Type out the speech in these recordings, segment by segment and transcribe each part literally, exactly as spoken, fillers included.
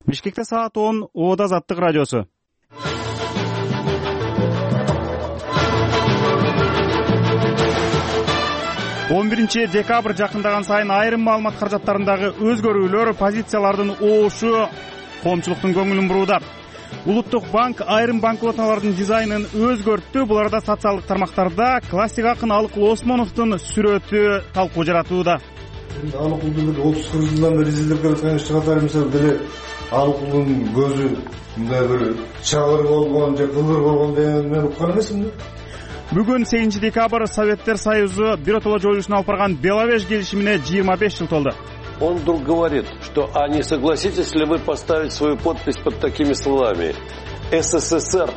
Бишкекте саат он, Ода Азаттык радиосу. он биринчи декабрь жакындаган сайын айрым маалымат каражаттарындагы өзгөрүүлөр, позициялардын оошу коомчулуктун көңүлүн бурууда. Улуттук банк айрым банкноталардын дизайнын өзгөрттү. Бул арада социалдык тармактарда классик акын Алыкул Осмоновдун сүрөтү талкуу жаратууда. Алыкулдун отуз кырк жылдан бери изилдеп келаткан ишкатары мисалы деле Алыкулдун көзү мындай бир чагыр болгон же кылдыр болгон деген мен уккан эмесмин. Бүгүн сегизинчи декабрь Советтер Союзу биротоло жоюлушуна алып барган Беловеж келишимине жыйырма беш жыл толду. Он вдруг говорит, что а не согласитесь ли вы поставить свою подпись под такими словами: СССР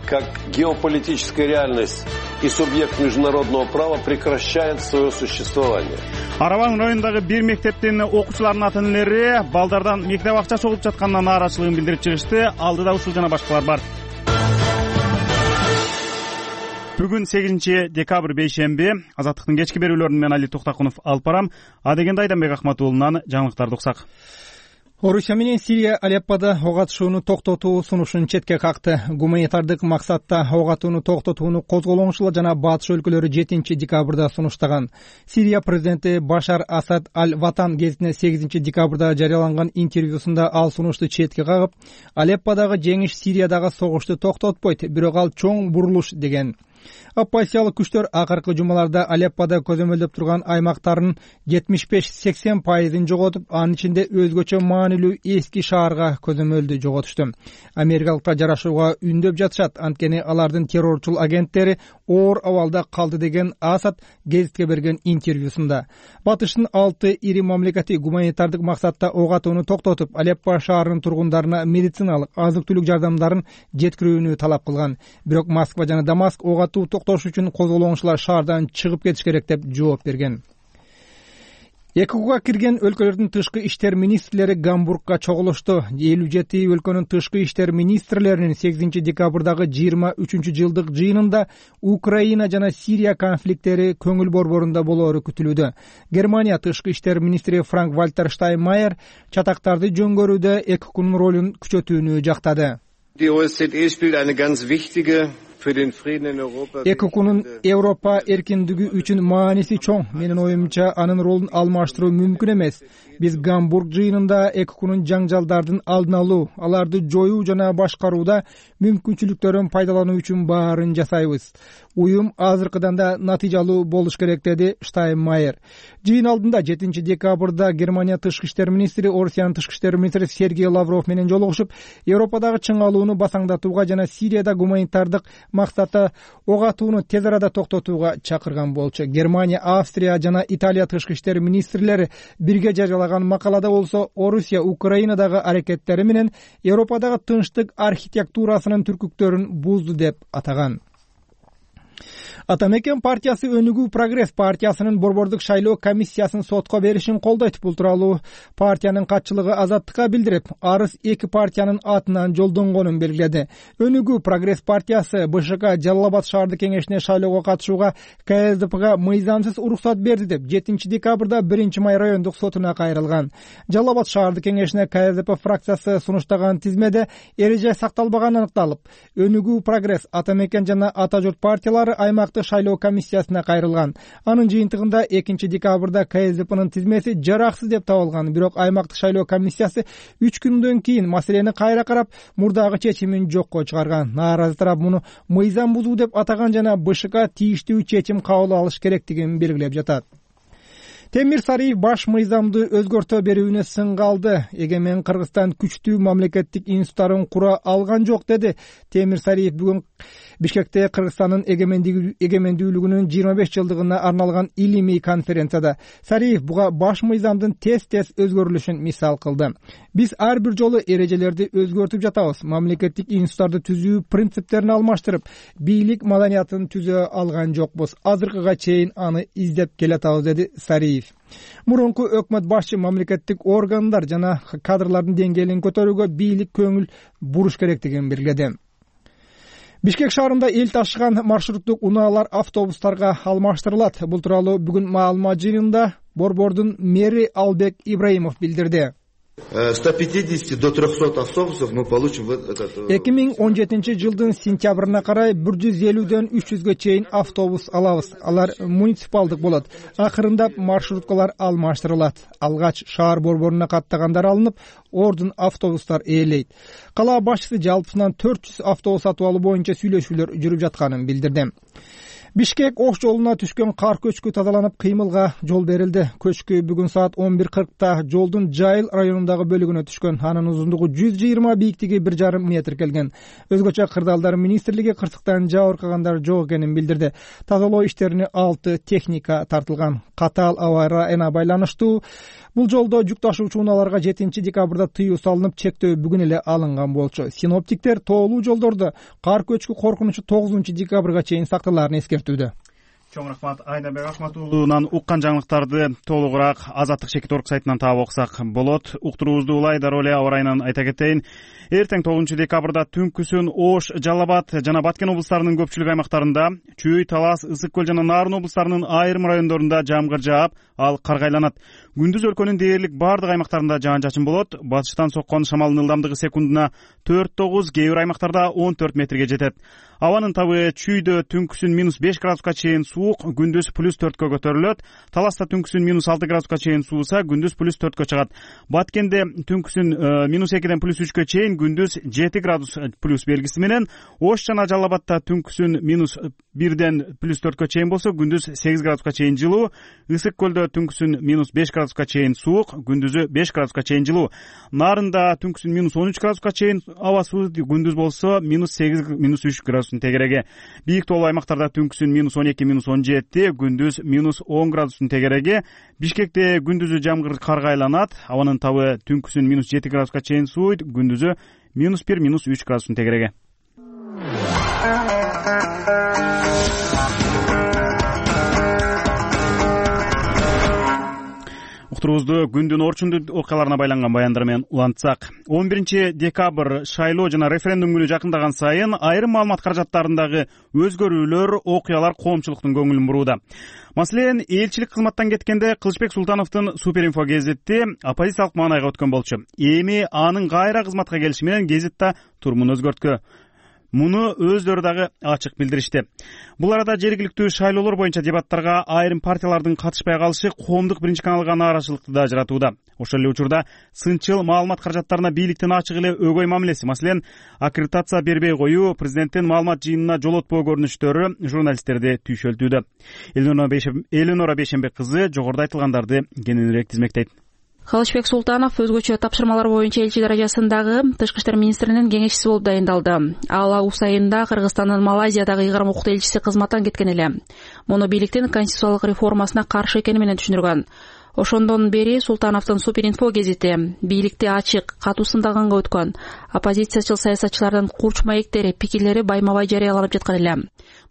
как геополитическая реальность и субъект международного права прекращает свое существование. Арабан районундагы бир мектептин окуучуларынын ата-энелери балдардан мектеп акча чогулуп жатканына нааразычылыгын билдирип чыгышты. Алдыда ушул жана башкалар бар. Бүгүн сегизинчи декабрь бейшемби. Азаттыктын кечки берүүлөрүн мен Али Токтакунов алып барам. Адегенде Айданбек Ахматуулунан жаңылыктарды уксак. Орусия менен Сирия Алеппода ок атышууну токтотуу сунушун четке какты. Гуманитардык максатта ок атууну токтотууну козголоңчулар жана батыш өлкөлөрү жетинчи декабрда сунуштаган. Сирия президенти Башар Асад Аль-Ватан гезитине сегизинчи декабрда жарыяланган интервьюсунда ал сунушту четке кагып, Алепподагы жеңиш Сириядагы согушту токтотпойт, бирок ал чоң бурулуш деген. Оппозициялык күчтөр акыркы жумаларда Алеппода көзөмөлдөп турган аймактарын жетимиш беш сексен пайызын жоготуп, анын ичинде өзгөчө маанилүү эски шаарга көзөмөлдү жоготушту. Америкалыктар жарашууга үндөп жатышат, анткени алардын террорчул агенттери оор абалда калды деген Асад гезитке берген интервьюсунда. Батыштын алты ири мамлекети гуманитардык максатта ок атууну токтотуп, Алеппо шаарынын тургундарына медициналык, азык-түлүк жардамдарын жеткирүүнү талап кылган. Бирок Москва жана Дамаск ок атуу токтош үчүн козголоңчулар шаардан чыгып кетиш керек деп жооп берген. ЭКОга кирген өлкөлөрдүн тышкы иштер министрлери Гамбургга чогулушту. элүү жети өлкөнүн тышкы иштер министрлеринин сегизинчи декабрдагы жыйырма үчүнчү жылдык жыйынында Украина жана Сирия конфликттери көңүл борборунда болоору күтүлүүдө. Германия тышкы иштер министри Франк Вальтер Штайнмайер чатактарды жөнгөрүүдө ЭКОнун ролун күчөтүүнү жактады. ЭКОнун Европа эркиндиги үчүн мааниси чоң. Менин оюмча, анын ролун алмаштыруу мүмкүн эмес. Биз Гамбург жыйынында ЭКОнун жаңжалдардын алдын алуу, аларды жоюу жана башкарууда мүмкүнчүлүктөрүн пайдалануу үчүн баарын жасайбыз. Уюм азыркыдан да натыйжалуу болуш керек, деди Штайнмайер. Жыйын алдында жетинчи декабрда Германия тышкы иштер министри Орусиянын тышкы иштер министри Сергей Лавров менен жолугушуп, Европадагы чыңалууну басаңдатууга жана Сирияда гуманитардык максатта ок атууну тез арада токтотууга чакырган болчу. Германия, Австрия жана Италия тышкы иштер министрлери бирге жарыялаган макалада болсо, Орусия Украинадагы аракеттери менен Европадагы тынчтык архитектурасынын түркүктөрүн бузду деп атаган. Атамекен партиясы Өнүгүү Прогресс партиясынын борбордук шайлоо комиссиясын сотко беришин колдойт. Бул тууралуу партиянын катчылыгы Азаттыкка билдирип, арыз эки партиянын атынан жолдонгонун белгиледи. Өнүгүү Прогресс партиясы БШК Жалал Абад шаардык кеңешине шайлоого катышууга КСДПга мыйзамсыз уруксат берди деп жетинчи декабрда биринчи май райондук сотуна кайрылган. Жалал Абад шаардык кеңешине КСДП фракциясы сунуштаган тизмеде эреже сакталбаганы аныкталып, Өнүгүү Прогресс, Атамекен жана Ата журт партиялары аймактык шайлоо комиссиясына кайрылган. Анын жыйынтыгында экинчи декабрда КСДПнын тизмеси жараксыз деп табылган. Бирок аймактык шайлоо комиссиясы үч күндөн кийин маселени кайра карап, мурдагы чечимин жокко чыгарган. Нааразы тарап муну мыйзам бузуу деп атаган жана БШК тийиштүү чечим кабыл алыш керектигин белгилеп жатат. Темир Сариев баш мыйзамды өзгөртө берүүнү сынга алды. Эгемен Кыргызстан күчтүү мамлекеттик институттарын кура алган жок, деди Темир Сариев бүгүн Бишкекте Кыргызстандын эгемендүүлүгүнүн жыйырма беш жылдыгына арналган илимий конференцияда. Сариев буга баш мыйзамдын тез-тез өзгөрүлүшүн мисал кылды. Биз ар бир жолу эрежелерди өзгөртүп жатабыз. Мамлекеттик институттарды түзүү принциптерин алмаштырып, бийлик маданиятын түзө алган жокпуз. Азыркыга чейин аны издеп келатабыз, деди Сариев. Мурунку өкмөт башчы мамлекеттик органдар жана кадрлардын деңгээлин көтөрүүгө бийлик көңүл буруш керектигин белгиледи. Бишкек шаарында эл ташыган маршруттук унаалар автобустарга алмаштырылат. Бул тууралуу бүгүн маалымат жыйынында борбордун мэри Албек Ибраимов билдирди. сто пятьдесят до трехсот автобусов мы получим в этот. эки миң он жетинчи жылдын сентябрына карай бир жүз элүүдөн үч жүзгө чейин автобус алабыз. Алар муниципалдык болот. Акырындап маршруткалар алмаштырылат. Алгач шаар борборуна каттагандар алынып, ордун автобустар ээлейт. Кала башчысы жалпысынан төрт жүз автобус сатып алуу боюнча сүйлөшүүлөр жүрүп жатканын билдирди. Бишкек Ош жолуна түшкөн кар көчкү тазаланып, кыймылга жол берилди. Көчкү бүгүн саат он бир кыркта жолдун Жайыл районундагы бөлүгүнө түшкөн. Анын узундугу жүз жыйырма, бийиктиги бир жарым метр келген. Өзгөчө Кырдаалдар министрлиги кырсыктан жабыркагандар жок экенин билдирди. Тазалоо иштерине алты техника тартылган. Катаал аба ырайына байланыштуу бул жолдо жүк ташуучу унааларга жетинчи декабрда тыюу салынып, чектөө бүгүн эле алынган болчу. Синоптиктер тоолуу жолдордо кар көчкү коркунучу тогузунчу декабрга чейин сакталаарын эскертүүдө. Чоң рахмат Айнабек Акматуулунан. Уккан жаңылыктарды толугураак Азаттык Шекит орг сайтынан таап окусак болот. Уктуруубузду улай дароо эле аба ырайынан айта кетейин. Эртең тогузунчу декабрда түнкүсүн Ош, Жалал Абад жана Баткен облустарынын көпчүлүк аймактарында, Чүй, Талас, Ысык көл жана Нарын облустарынын айрым райондорунда жамгыр жаап, ал каргайланат. Күндүз өлкөнүн дээрлик бардык аймактарында жаан-чачын болот. Батыштан соккон шамалдын ылдамдыгы секундуна төрт тогуз, кээ бир аймактарда он төрт метрге жетет. Абанын табы Чүйдө түнкүсүн минус беш градуска чейин суук, күндүз плюс төрткө көтөрүлөт. Таласта түнкүсүн минус алты градуска чейин сууса, күндүз плюс төрткө чыгат. Баткенде түнкүсүн минус экиден плюс үчкө чейин, күндүз жети градус плюс белгиси менен. Ош жана Жалал Абадта түнкүсүн минус бирден плюс төрткө чейин болсо, күндүз сегиз градуска чейин жылуу. Ысык көлдө түнкүсүн минус беш градуска чейин суук, күндүзү беш градуска чейин жылуу. Нарында түнкүсүн минус он үч градуска чейин аба суу, күндүз болсо минус сегиз минус үч градустун тегереги. Бийик тоолуу аймактарда түнкүсүн минус он эки минус он жети, күндүз минус он градустун тегереги. Бишкекте күндүзү жамгыр каргайланат. Абанын табы түнкүсүн минус жети градуска чейин сууйт, күндүзү минус бир минус үч градустун тегереги. Уктуруубузду күндүн орчундуу окуяларына байланган баяндар менен улантсак. он биринчи декабрь шайлоо жана референдум күнү жакындаган сайын айрым маалымат каражаттарындагы өзгөрүүлөр, окуялар коомчулуктун көңүлүн бурууда. Маселен, элчилик кызматтан кеткенде Кылычбек Султановдун Суперинфо гезити оппозициялык маанайга өткөн болчу. Эми анын кайра кызматка келиши менен гезитта турумун өзгөрткө. Муну өздөрү дагы ачык билдиришти. Бул арада жергиликтүү шайлоолор боюнча дебаттарга айрым партиялардын катышпай калышы коомдук биринчи каналга нааразычылыкты да жаратууда. Ошол эле учурда сынчыл маалымат каражаттарына бийликтин ачык эле өгөй мамилеси, маселен, аккредитация бербей коюу, президенттин маалымат жыйынына жолотпоо көрүнүштөрү журналисттерди түйшөлтүүдө. Элинора Бейшембек кызы жогоруда айтылгандарды кененирээк тизмектейт. Кылычбек Султанов өзгөчө тапшырмалар боюнча элчи даражасындагы Тышкы иштер министринин кеңешчиси болуп дайындалды. Ал август айында Кыргызстандын Малайзиядагы ыйгарым укуктуу элчиси кызматтан кеткен эле. Муну бийликтин конституциялык реформасына каршы экени менен түшүндүргөн. Ошондон бери Султановдун Суперинфо гезити бийликти ачык, катуу сындаганга өткөн. Оппозициячыл саясатчылардын курч маектери, пикирлери байма-бай жарыяланып жаткан эле.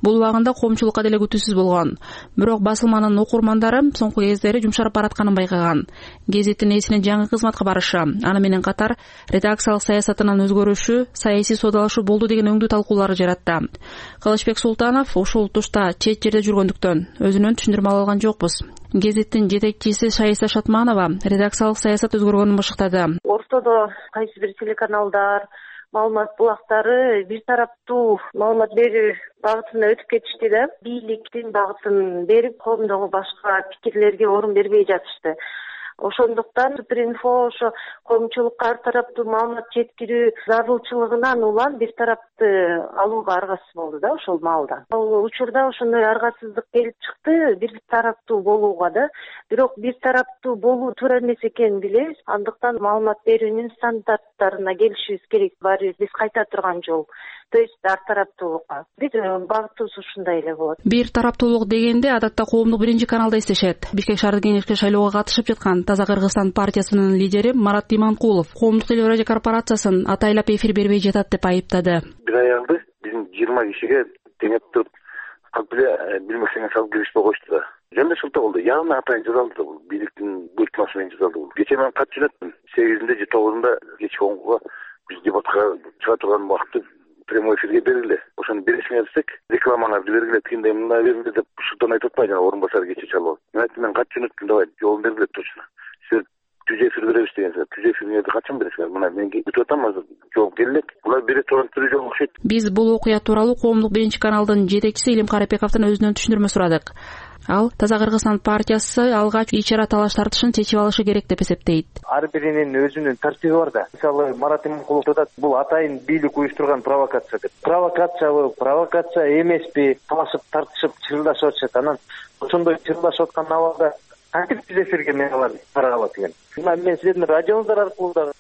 Бул убагында коомчулукка деле күтүүсүз болгон. Бирок басылманын окурмандары соңку кездери жумшарып баратканын байкаган. Гезиттин ээсинин жаңы кызматка барышы, аны менен катар редакциялык саясатынын өзгөрүшү, саясий соодалашуу болду деген өңдүү талкууларды жаратты. Кылычбек Султанов ушул тушта чет жерде жүргөндүктөн өзүнөн түшүндүрмө ала алган жокпуз. Гезиттин жетекчиси Шайиса Шатманова редакциялык саясат өзгөргөнүн башыктады. Ортодо кайсы бир телеканалдар, маалымат булактары бир тараптуу маалымат берүү багытына өтүп кетишти да. Бийликтин багытын берип, коомдогу башка пикирлерге орун бербей жатышты. Ошондуктан Суперинфо ошо коомчулукка ар тараптуу маалымат жеткирүү зарылчылыгынан улам бир тарапты алууга аргасыз болду да ошол маалда. Ал учурда ошондой аргасыздык келип чыкты, бир тараптуу болууга да. Бирок бир тараптуу болуу туура эмес экенин билебиз. Андыктан маалымат берүүнүн стандарттарына келишибиз керек. Баары биз кайта турган жол. То есть ар тараптуулукка. Бир багытыбыз ушундай эле болот. Бир тараптуулук дегенде адатта коомдук биринчи каналда эстешет. Бишкек шаардык кеңешке шайлоого катышып жаткан Таза Кыргызстан партиясынын лидери Марат Иманкулов коомдук телерадио корпорациясын атайлап эфир бербей жатат деп айыптады. Бир аялды биздин жыйырма кишиге теңеп туруп калп эле билмесеңе салып киришпей койушту да. Жөн эле шылтоо болду. Яны атайын жазалды да бул. Бийликтин буйртмасы менен жазалды бул. Кечээ мен кат жөнөттүм. сегизинде же тогузунда кечки онго биз дебатка чыга турган убакытты прямой эфирге берилди. Ошону беришиңер десек, рекламаларды бергиле, тигиндей мындай берилди деп шылтоон айтып атпайбы, жана орун басар кече чалып. Мен айттым, мен кат жөнөттүм, давай жолун бергиле точно. Силер түз эфир беребиз деген сөз. Түз эфирди качан бересиңер? Мына мен күтүп атам азыр. Жооп келет. Булар бере турган түрү жок окшойт. Биз бул окуя тууралуу Коомдук биринчи каналдын жетекчиси Илим Карапековдун өзүнөн түшүндүрмө сурадык. Ал Таза Кыргызстан партиясы алгач ичара талаш тартышын чечип алышы керек деп эсептейт. Ар биринин өзүнүн тартиби бар да. Мисалы Марат Иманкулов айтат, бул атайын бийлик уюштурган провокация деп. Провокациябы, провокация эмеспи? Талашып, тартышып, чырылдашып атышат. Анан ошондой чырылдашып аткан абалда кантип биз эфирге мен алар таралат экен. Мен силердин радионуңуздар аркылуу да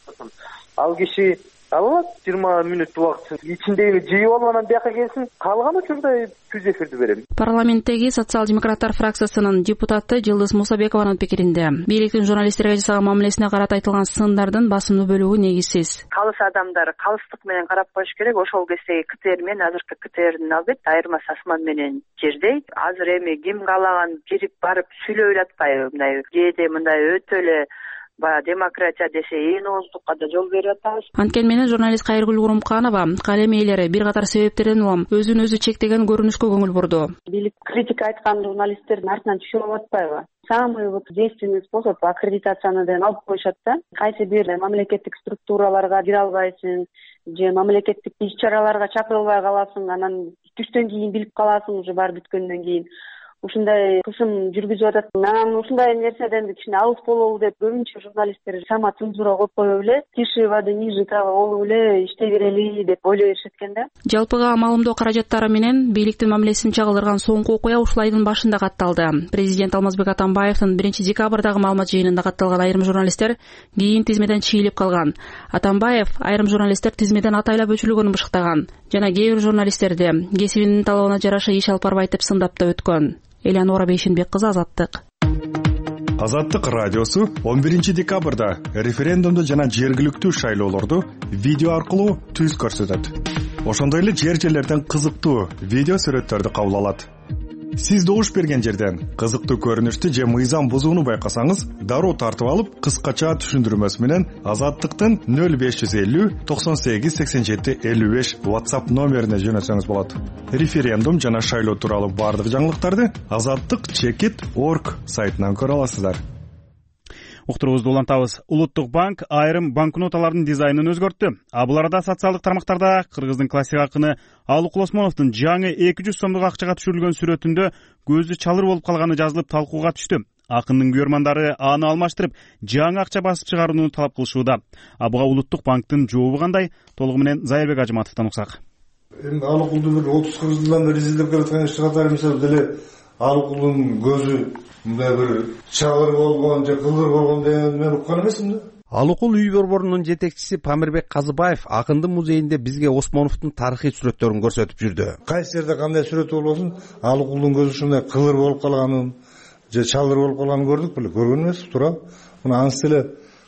ал киши алат жыйырма мүнөт убакыт ичиндеги жыйып алып анан бияка келсин, калган учурда түз эфирди берем. Парламенттеги социал-демократтар фракциясынын депутаты Жылдыз Мусабекованын пикиринде бийликтин журналисттерге жасаган мамилесине карата айтылган сындардын басымдуу бөлүгү негизсиз. Калыс адамдар калыстык менен карап коюш керек. Ошол кездеги КТР менен азыркы КТРдин албетте айырмасы асман менен жердей. Азыр эми ким каалаган кирип барып сүйлөп атпайбы, мындай кээде мындай өтө эле баягы демократия десе ээн ооздукка да жол берип атабыз. Анткени менен журналист Кайыргүл Урумканова калем ээлери бир катар себептерден улам өзүн өзү чектеген көрүнүшкө көңүл бурду. Бийлик критика айткан журналисттердин артынан түшүп алып атпайбы? Самый вот действенный способ аккредитацияны да алып коюшат да. Кайсы бир мамлекеттик структураларга кире албайсың, же мамлекеттик иш-чараларга чакырылбай каласың, анан түштөн кийин билип каласың уже бар бүткөндөн кийин. Ушундай кысым жүргүзүп атат. Мен ушундай нерседен кичине алыс бололу деп көбүнчө журналисттер сама цензура коюп коюп эле, тиши воды ниже травы болуп эле иштей берели деп ойлой беришет экен да. Жалпыга маалымдоо каражаттары менен бийликтин мамилесин чагылдырган соңку окуя ушул айдын башында катталды. Президент Алмазбек Атамбаевдин биринчи декабрдагы маалымат жыйынында катталган айрым журналисттер кийин тизмеден чийилип калган. Атамбаев айрым журналисттер тизмеден атайлап өчүрүлгөнүн бышыктаган жана кээ бир журналисттерди кесибинин талабына жараша иш алып барбайт деп сындап да өткөн. Элеонора Бейшенбек кызы, Азаттык. Азаттык радиосу он биринчи декабрда референдумду жана жергиликтүү шайлоолорду видео аркылуу түз көрсөтөт. Ошондой эле жер жерлерден кызыктуу видео сүрөттөрдү кабыл алат. Сиз добуш берген жерден кызыктуу көрүнүштү же мыйзам бузууну байкасаңыз, дароо тартып алып, кыскача түшүндүрмөсү менен Азаттыктын нөл беш жүз элүү токсон сегиз сексен жети элүү беш WhatsApp номерине жөнөтсөңүз болот. Референдум жана шайлоо тууралуу бардык жаңылыктарды азаттык чекит точка орг сайтынан көрө аласыздар. Уктуруубузду улантабыз. Улуттук банк айрым банкноталардын дизайнын өзгөрттү. А бул арада социалдык тармактарда Кыргыздын классик акыны Алыкул Осмоновдун жаңы эки жүз сомдук акчага түшүрүлгөн сүрөтүндө көзү чалыр болуп калганы жазылып талкууга түштү. Акындын көрмандары аны алмаштырып, жаңы акча басып чыгарууну талап кылышууда. А буга Улуттук банктын жообу кандай? Толугу менен Зайырбек Ажыматовдон уксак. Эми Алыкулду бир отуз кырк жылдан бери изилдеп келаткан ишти катары мисалы деле Алыкулдун көзү мындай бир чалыр болгон же кылдыр болгон деген мен уккан эмесмин да. Алыкул үй борборунун жетекчиси Памирбек Казыбаев Акындын музейинде бизге Осмоновдун тарыхый сүрөттөрүн көрсөтүп жүрдү. Кайсы жерде кандай сүрөт болбосун, Алыкулдун көзү ушундай кылдыр болуп калганын же чалыр болуп калганын көрдүк беле, көргөн эмес, туура. Мына анысы эле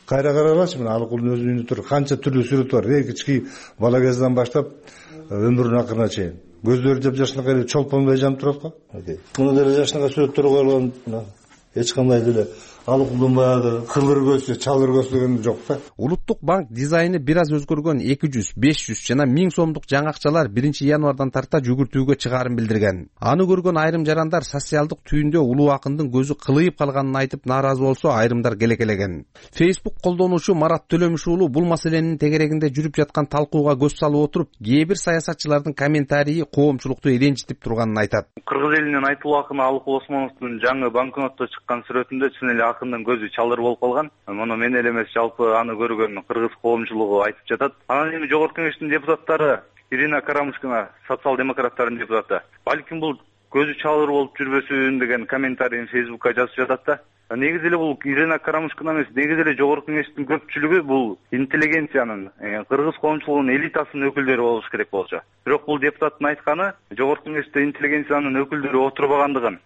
кайра каралачы, мына Алыкулдун өзүнүн үйүндө тур канча түрлүү сүрөт бар. Эң кички бала кезден баштап өмүрүнүн акырына чейин. Көздөрү жапжашынакай эле чолпонбой жанып турат го. Мына деле жашынакай сүрөттөр коюлган, мына эч кандай деле Алыкулдун баягы кылдыр көзсү, чалыр көзсү деген жок да. Улуттук банк дизайны бир аз өзгөргөн эки жүз, беш жүз жана миң сомдук жаңы акчалар биринчи январдан тарта жүгүртүүгө чыгаарын билдирген. Аны көргөн айрым жарандар социалдык түйүндө улуу акындын көзү кылыйып калганын айтып нааразы болсо, айрымдар келекелеген. Facebook колдонуучу Марат Төлөмүш уулу бул маселенин тегерегинде жүрүп жаткан талкууга көз салып отуруп, кээ бир саясатчылардын комментарийи коомчулукту ренжитип турганын айтат. Кыргыз элинин айтылуу акыны Алыкул Осмоновдун жаңы банкнотто чыккан сүрөтүндө чын эле акындын көзү чалыр болуп калган. Муну мен эле эмес, жалпы аны көргөн кыргыз коомчулугу айтып жатат. Анан эми жогорку кеңештин депутаттары Ирина Карамушкина, социал-демократтардын депутаты, балким бул көзү чалыр болуп жүрбөсүн деген комментарийин Facebookка жазып жатат да. Негизи эле бул Ирина Карамушкина эмес, негизи эле жогорку кеңештин көпчүлүгү бул интеллигенциянын, кыргыз коомчулугунун элитасынын өкүлдөрү болуш керек болчу. Бирок бул депутаттын айтканы жогорку кеңеште интеллигенциянын өкүлдөрү отурбагандыгын,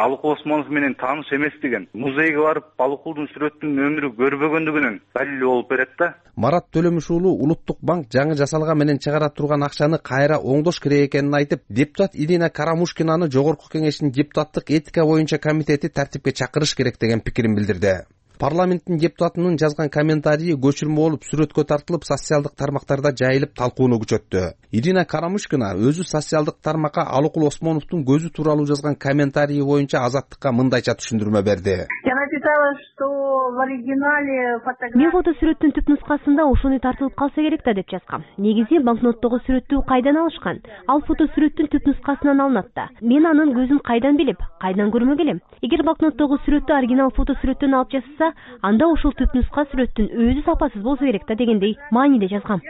Алыкул Осмонов менен тааныш эместигин, музейге барып Алыкулдун сүрөтүнүн өмүрү көрбөгөндүгүнүн далили болуп берет да. Марат Төлөмүш уулу Улуттук банк жаңы жасалган менен чыгара турган акчаны кайра оңдош керек экенин айтып, депутат Ирина Карамушкинаны жогорку кеңештин депутаттык этика боюнча комитети тартипке чакырыш керек деген пикирин билдирди. Парламенттин депутатынын жазган комментарийи көчүрмө болуп сүрөткө тартылып, социалдык тармактарда жайылып талкууну күчөттү. Ирина Карамушкина өзү социалдык тармакка Алыкул Осмоновдун көзү тууралуу жазган комментарийи боюнча Азаттыкка мындайча түшүндүрмө берди. Я на этой считала, что в оригинале фотография... Мен фотосүрөттүн түп нускасында ошону тартылып калса керек да деп жазгам. Негизи банкноттогу сүрөттү кайдан алышкан? Ал фотосүрөттүн түп нускасынан алынат да. Мен анын көзүн кайдан билип, кайдан көрмөк элем? Эгер банкноттогу сүрөттү оригинал фотосүрөттөн алып жасаса, анда ошол түп нуска сүрөттүн өзү сапасыз болсо керек да дегендей мааниде жазгам.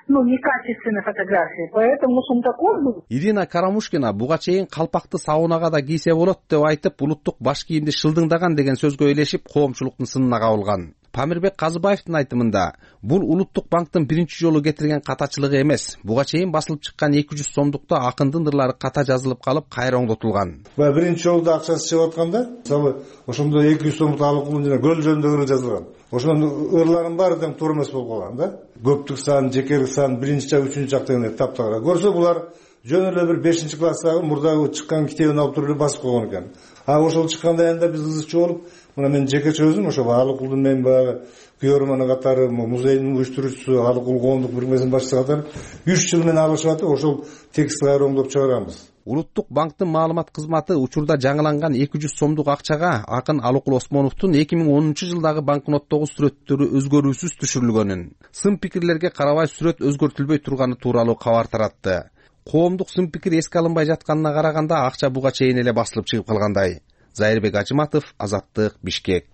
Ну, некачественная фотография, поэтому он такой был. Ирина Карамушкина буга чейин калпакты саунага да кийсе болот деп айтып, улуттук баш кийимди шылдыңдаган деген сөзгө ээлешип, коомчулуктун сынына кабылган. Памирбек Казыбаевдин айтымында, бул Улуттук банктын биринчи жолу кетирген катачылыгы эмес. Буга чейин басылып чыккан эки жүз сомдукта акындын ырлары ката жазылып калып, кайра оңдотулган. Баягы биринчи жолу акчасы чыгып атканда, мисалы, ошондо эки жүз сомдук алыкулун жана көл жөнүндө ыр жазылган. Ошонун ырларынын баары тең туура эмес болуп калган да. Көптүк сан, жекелик сан, биринчи жак, үчүнчү жак дегендей таптагыра. Көрсө булар жөн эле бир бешинчи класстагы мурдагы чыккан китебин алып туруп эле басып койгон экен. А ошол чыкканда айында биз кызыкчы болуп, мына мен жекече өзүм ошо Алыкулдун мен баягы күйөрманы катары, музейдин уюштуруучусу, Алыкул коомдук бирикмесинин башчысы катары үч жыл менен алышып атып, ошол текстти кайра оңдоп чыгаранбыз. Улуттук банктын маалымат кызматы учурда жаңыланган эки жүз сомдук акчага акын Алыкул Осмоновдун эки миң онунчу жылдагы банкноттогу сүрөттөрү өзгөрүүсүз түшүрүлгөнүн, сын пикирлерге карабай сүрөт өзгөртүлбөй турганы тууралуу кабар таратты. Коомдук сын пикир эске алынбай жатканына караганда акча буга чейин эле басылып чыгып калгандай. Зайырбек Ажыматов, Азаттык, Бишкек.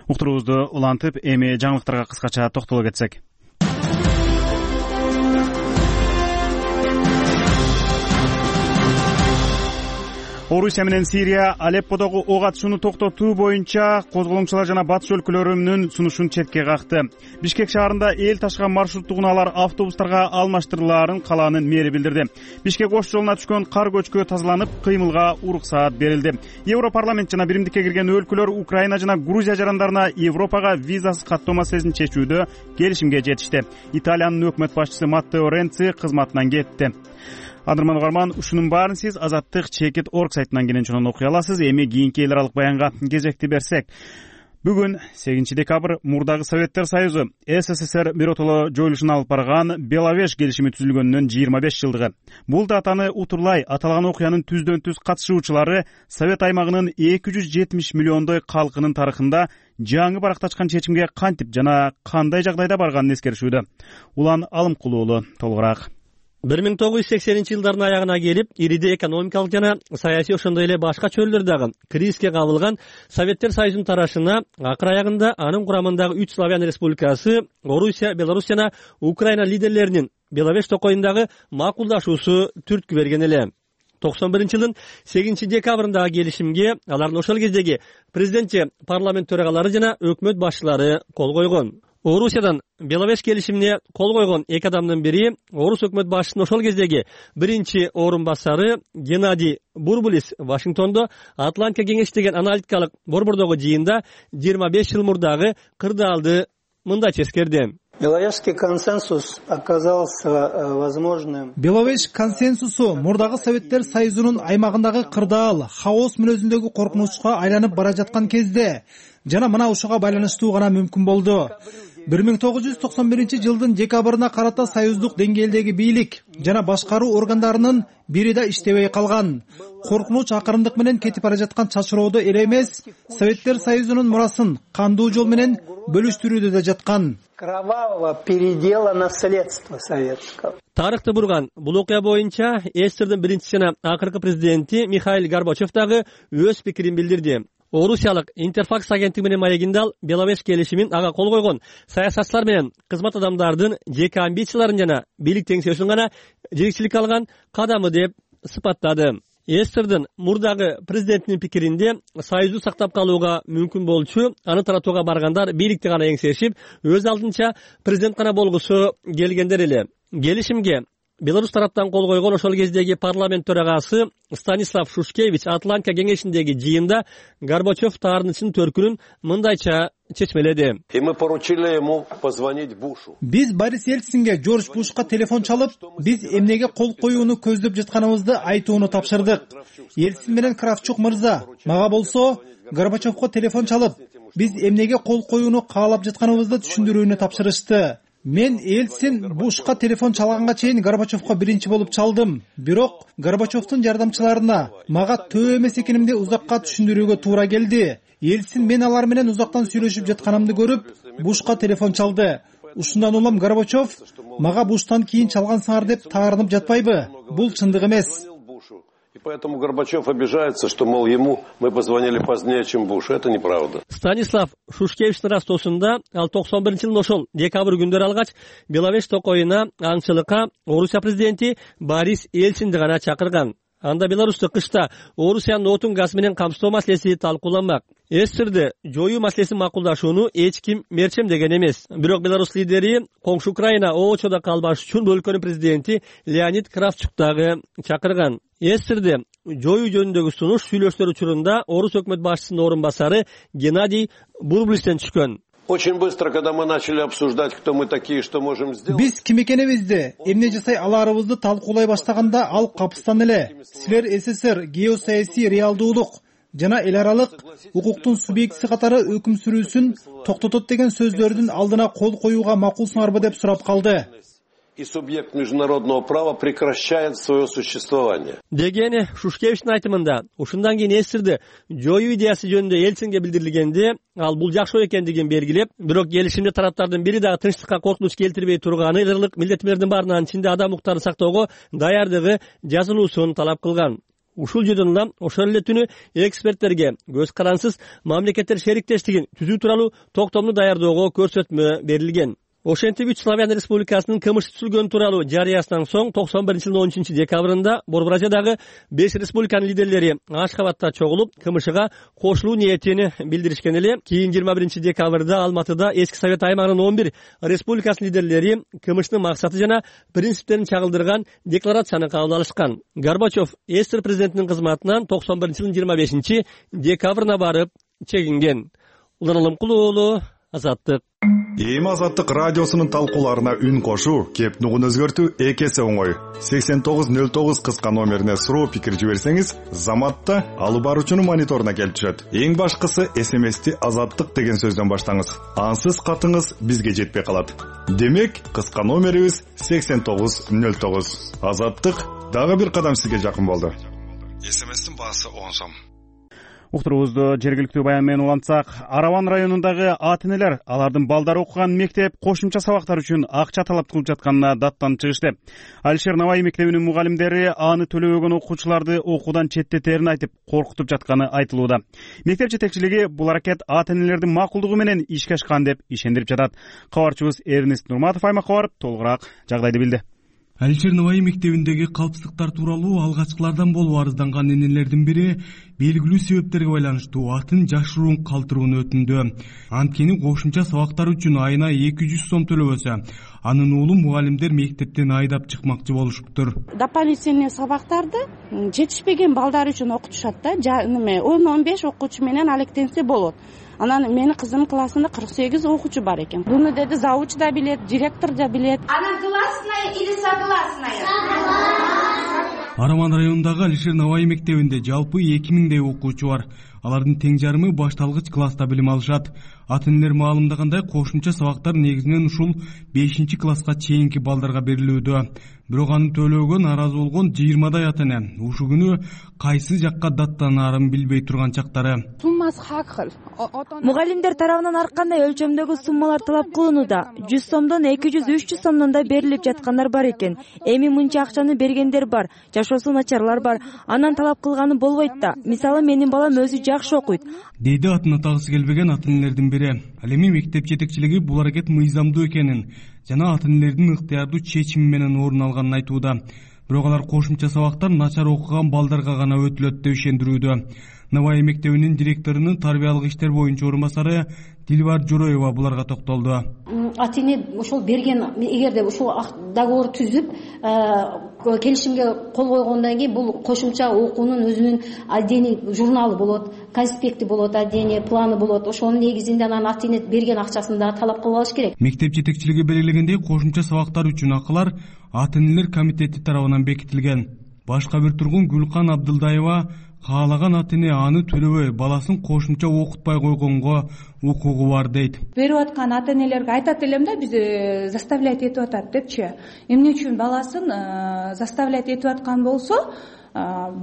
Уктуруубузду улантып, эми жаңылыктарга кыскача токтоло кетсек. Орусия менен Сирия Алепподогу ок атышууну токтотуу боюнча козголоңчулар жана батыш өлкөлөрүнүн сунушун четке какты. Бишкек шаарында эл ташыган маршруттук унаалар автобустарга алмаштырылаарын калаанын мэри билдирди. Бишкек Ош жолуна түшкөн кар көчкү тазаланып, кыймылга уруксаат берилди. Европарламент жана биримдикке кирген өлкөлөр Украина жана Грузия жарандарына Европага визасыз каттоо маселесин чечүүдө келишимге жетишти. Италиянын өкмөт башчысы Маттео Ренци кызматынан кетти. Адырман угарман, ушунун баарын сиз Азаттык чекит орг сайтынан кенен окуй аласыз. Эми кийинки эл аралык баянга кезекти берсек. Бүгүн сегизинчи декабрь мурдагы Советтер Союзу СССР биротоло жоюлушуна алып барган Беловеж келишими түзүлгөнүнөн жыйырма беш жылдыгы. Бул датаны утурлай аталган окуянын түздөн түз катышуучулары Совет аймагынын эки жүз жетимиш миллиондой калкынын тарыхында жаңы баракташкан чечимге кантип жана кандай жагдайда барганын эскеришүүдө. Улан Алымкулуу уулу толугураак. бир миң тогуз жүз сексенинчи жылдардын аягына келип, ириде экономикалык жана саясий ошондой эле башка чөрлөрдөгү кризиске кабылган Советтер Союзунун тарашына акыр аягында анын курамындагы үч славян республикасы, Орусия, Беларусь жана Украина лидерлеринин Беловеж токоюндагы макулдашуусу түрткү берген эле. токсон биринчи жылдын сегизинчи декабрындагы келишимге алардын ошол кездеги президентчи парламент төрагалары жана өкмөт башчылары кол койгон. Орусиядан Беловеж келишимине кол койгон эки адамдын бири Орус өкмөт башчысынын ошол кездеги биринчи орун басары Геннадий Бурбулис Вашингтондо Атлантика кеңеши деген аналитикалык борбордогу жыйында жыйырма беш жыл мурдагы кырдаалды мындайча эскерди. Беловежский консенсус оказался возможным. Беловеж консенсусу мурдагы Советтер Союзунун аймагындагы кырдаал, хаос мүнөзүндөгү коркунучка айланып бара жаткан кезде жана мына ушуга байланыштуу гана мүмкүн болду. бир миң тогуз жүз токсон биринчи жылдын декабрына карата союздук деңгээлдеги бийлик жана башкаруу органдарынын бири да иштебей калган. Коркунуч акырындык менен кетип бара жаткан чачыроодо эле эмес, Советтер Союзунун мурасын кандуу жол менен бөлүштүрүүдө да жаткан. Кровавого передела наследства советского. Тарыхты бурган бул окуя боюнча СССРдин биринчи жана акыркы президенти Михаил Горбачев дагы өз пикирин билдирди. Орусиялык Интерфакс агенттиги менен маегинде ал Беловеж келишимин ага кол койгон саясатчылар менен кызмат адамдардын жеке амбицияларын жана бийлик теңсөөсүн гана жетекчилик алган кадамы деп сыпаттады. СССРдин мурдагы президентинин пикиринде союзду сактап калууга мүмкүн болчу, аны таратууга баргандар бийликти гана эңсешип, өз алдынча президент гана болгусу келгендер эле. Келишимге Беларусь тараптан кол койгон ошол кездеги парламент төрагасы Станислав Шушкевич Атлантика кеңешиндеги жыйында Горбачев таарынычынын төркүнүн мындайча чечмеледи. И мы поручили ему позвонить Бушу. Биз Борис Ельцинге, Жорж Бушка телефон чалып, биз эмнеге кол коюуну көздөп жатканыбызды айтууну тапшырдык. Ельцин менен Кравчук мырза, мага болсо Горбачевко телефон чалып, биз эмнеге кол коюуну каалап жатканыбызды түшүндүрүүнү тапшырышты. Мен Ельцин Бушка телефон чалганга чейин Горбачевко биринчи болуп чалдым. Бирок Горбачевдун жардамчыларына мага төө эмес экенимди узакка түшүндүрүүгө туура келди. Ельцин мен алар менен узактан сүйлөшүп жатканымды көрүп, Бушка телефон чалды. Ушундан улам Горбачев мага Буштан кийин чалгансыңар деп таарынып жатпайбы? Бул чындык эмес. И поэтому Горбачев обижается, что, мол, ему мы позвонили позднее, чем Буш. Это неправда. Станислав Шушкевичтин растоосунда ал токсон биринчи жылдын ошол декабрь күндөрү алгач Беловеж токойуна аңчылыкка Орусия президенти Борис Ельцинди гана чакырган. Анда Беларусьта кышта Орусиянын отун газ менен камсыздоо маселеси талкууланмак. Эстерди жоюу маселесин макулдашууну эч ким мерчемдеген эмес. Бирок Беларусь лидери коңшу Украина оочодо калбаш үчүн өлкөнүн президенти Леонид Кравчук дагы чакырган. Эстерди жоюу жөнүндөгү сунуш сүйлөштөр учурунда Орус өкмөт башчысынын орун басары Геннадий Бурблистен түшкөн. Очень быстро, когда мы начали обсуждать, кто мы такие, что можем сделать. Биз ким экенибизди, эмне жасай аларыбызды талкуулай баштаганда ал капыстан эле силер СССР геосаясий реалдуулук жана эл аралык укуктун субъектиси катары өкүм сүрүүсүн токтотот деген сөздөрдүн алдына кол коюуга макулсуңарбы деп сурап калды. И субъект международного права прекращает свое существование. Дегени Шушкевичтин айтымында, ушундан кийин эсирди жоюу идеясы жөнүндө Ельцинге билдирилгенде, ал бул жакшы экендигин белгилеп, бирок келишимде тараптардын бири дагы тынчтыкка коркунуч келтирбей турганы, ырлык милдеттемелердин баарынан ичинде адам укуктарын сактоого даярдыгы жазылуусун талап кылган. Ушул жөнүндө улам ошол эле түнү эксперттерге көз карансыз мамлекеттер шериктештигин түзүү тууралуу токтомду даярдоого көрсөтмө берилген. Ошентип үч Славян Республикасынын кылмыш түзүлгөнү тууралуу жарыясынан соң токсон биринчи жылдын он үчүнчү декабрында Борбор Азиядагы беш республиканын лидерлери Ашкабадта чогулуп, КМШга кошулуу ниетин билдиришкен эле. Кийин жыйырма биринчи декабрда Алматыда эски Совет аймагынын он бир республикасынын лидерлери КМШнын максаты жана принциптерин чагылдырган декларацияны кабыл алышкан. Горбачев СССР президентинин кызматынан токсон биринчи жылдын жыйырма бешинчи декабрына барып чегинген. Улан Алымкулуу уулу, Азаттык. Эми Азаттык радиосунун талкууларына үн кошуу, кеп нугун өзгөртүү эки эсе оңой. сексен тогуз нөл тогуз кыска номерине суроо пикир жиберсеңиз, Заматта алып баруучунун мониторуна келип түшөт. Эң башкысы эс эм эсти Азаттык деген сөздөн баштаңыз. Ансыз катыңыз бизге жетпей калат. Демек, кыска номерибиз сексен тогуз нөл тогуз. Азаттык дагы бир кадам сизге жакын болду. эс эм эстин баасы он сом. Уктурубузду жергиликтүү баян менен улантсак, Араван районундагы ата-энелер алардын балдары окуган мектеп кошумча сабактар үчүн акча талап кылып жатканына даттанып чыгышты. Алишер Наваи мектебинин мугалимдери аны төлөбөгөн окуучуларды окуудан четтетерин айтып, коркутуп жатканы айтылууда. Мектеп жетекчилиги бул аракет ата-энелердин макулдугу менен ишке ашкан деп ишендирип жатат. Кабарчыбыз Эрнест Нурматов аймакка барып, толугураак жагдайды билди. Алишер Наваи мектебиндеги калпсыздыктар тууралуу алгачкылардан болуп арызданган энелердин бири белгилүү себептерге байланыштуу атын жашыруун калтырууну өтүндү. Анткени кошумча сабактар үчүн айына эки жүз сом төлөбөсө, анын уулу мугалимдер мектептен айдап чыкмакчы болушуптур. Дополнительный сабактарды жетишпеген балдар үчүн окутушат да, неме он он беш окуучу менен алектенсе болот. Анан менин кызымдын классында кырк сегиз окуучу бар экен. Буну деди завуч да билет, директор да билет. Она гласная или согласная? Араван районундагы Алишер Наваи мектебинде жалпы эки миңдей окуучу бар. Алардын тең жарымы башталгыч класста билим алышат. Ата-энелер маалымдагандай кошумча сабактар негизинен ушул бешинчи класска чейинки балдарга берилүүдө. Бирок аны төлөөгө нааразы болгон жыйырмадай ата-эне ушул күнү кайсы жакка даттанаарын билбей турган чактары. Мугалимдер тарабынан ар кандай өлчөмдөгү суммалар талап кылынууда. жүз сомдон эки жүз үч жүз сомдон да берилип жаткандар бар экен. Эми мынча акчаны бергендер бар, жашоосу начарлар бар. Анан талап кылганы болбойт да. Мисалы менин балам өзү жакшы окуйт, деди атын атагысы келбеген ата-энелердин бири. Ал эми мектеп жетекчилиги бул аракет мыйзамдуу экенин жана ата-энелердин ыктыярдуу чечими менен орун алганын айтууда. Бирок алар кошумча сабактар начар окуган балдарга гана өтүлөт деп ишендирүүдө. Наваи мектебинин директорунун тарбиялык иштер боюнча орун басары Дилбар Жороева буларга токтолду. Ата-эне ошол берген, эгерде ушул договор түзүп, келишимге кол койгондон кийин бул кошумча окуунун өзүнүн отдельный журналы болот, конспекти болот, отдельный планы болот. Ошонун негизинде анан ата-эне берген акчасын дагы талап кылып алыш керек. Мектеп жетекчилиги белгилегендей, кошумча сабактар үчүн акылар ата-энелер комитети тарабынан бекитилген. Башка бир тургун Гүлкан Абдылдаева каалаган ата эне аны төлөбөй баласын кошумча окутпай койгонго укугу бар дейт. Берип аткан ата энелерге айтат элем да, биз заставлять этип атат депчи. Эмне үчүн баласын заставлять этип аткан болсо,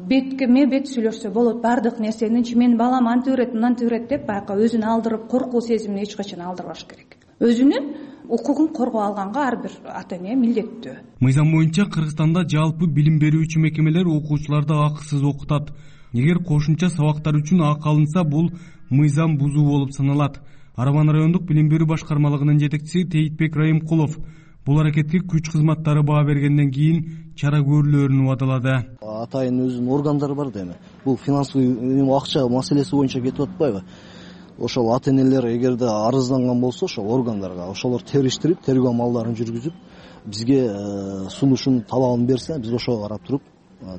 бетке ме бет сүйлөшсө болот баардык нерсеничи. Менин балам антип берет, мынантип берет деп байка өзүн алдырып, коркуу сезимин эч качан алдырбаш керек. Өзүнүн укугун коргоо алганга ар бир ата эне милдеттүү. Мыйзам боюнча Кыргызстанда жалпы билим берүүчү мекемелер окуучуларды акысыз окутат. Эгер кошумча сабактар үчүн акы алынса, бул мыйзам бузуу болуп саналат. Арабан райондук билим берүү башкармалыгынын жетекчиси Тейтбек Райымкулов бул аракетке күч кызматтары баа бергенден кийин чара көрүлөөрүн убадалады. Атайын өзүнүн органдары бар да эми. Бул финансовый акча маселеси боюнча кетип атпайбы? Ошол ата энелер эгерде арызданган болсо, ошол органдарга ошолор териштирип, тергөө амалдарын жүргүзүп, бизге сунушун талабын берсе, биз ошого карап туруп,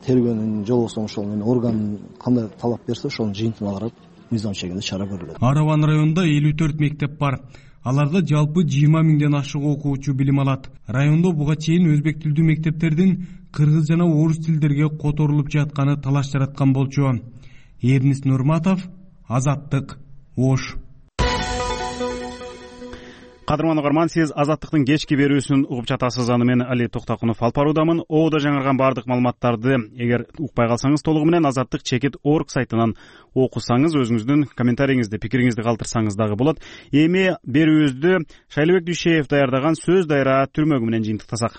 тергөөнүн же болбосо ошол орган кандай талап берсе, ошонун жыйынтыгына карап мыйзам чегинде чара көрүлөт. Арабан районунда элүү төрт мектеп бар. Аларда жалпы жыйырма миңден ашык окуучу билим алат. Райондо буга чейин өзбек тилдүү мектептердин кыргыз жана орус тилдерге которулуп жатканы талаш жараткан болчу. Эрнис Нурматов, Азаттык, Ош. Кадырман угарман, сиз Азаттыктын кечки берүүсүн угуп жатасыз. Аны мен Али Токтакунов алып баруудамын. Оодо жаңырган баардык маалыматтарды эгер укпай калсаңыз, толугу менен азаттык чекит точка орг сайтынан окусаңыз, өзүңүздүн комментарийиңизди, пикириңизди калтырсаңыз дагы болот. Эми берүүбүздү Шайлыбек Дүйшеев даярдаган сөз дайра түрмөгү менен жыйынтыктасак.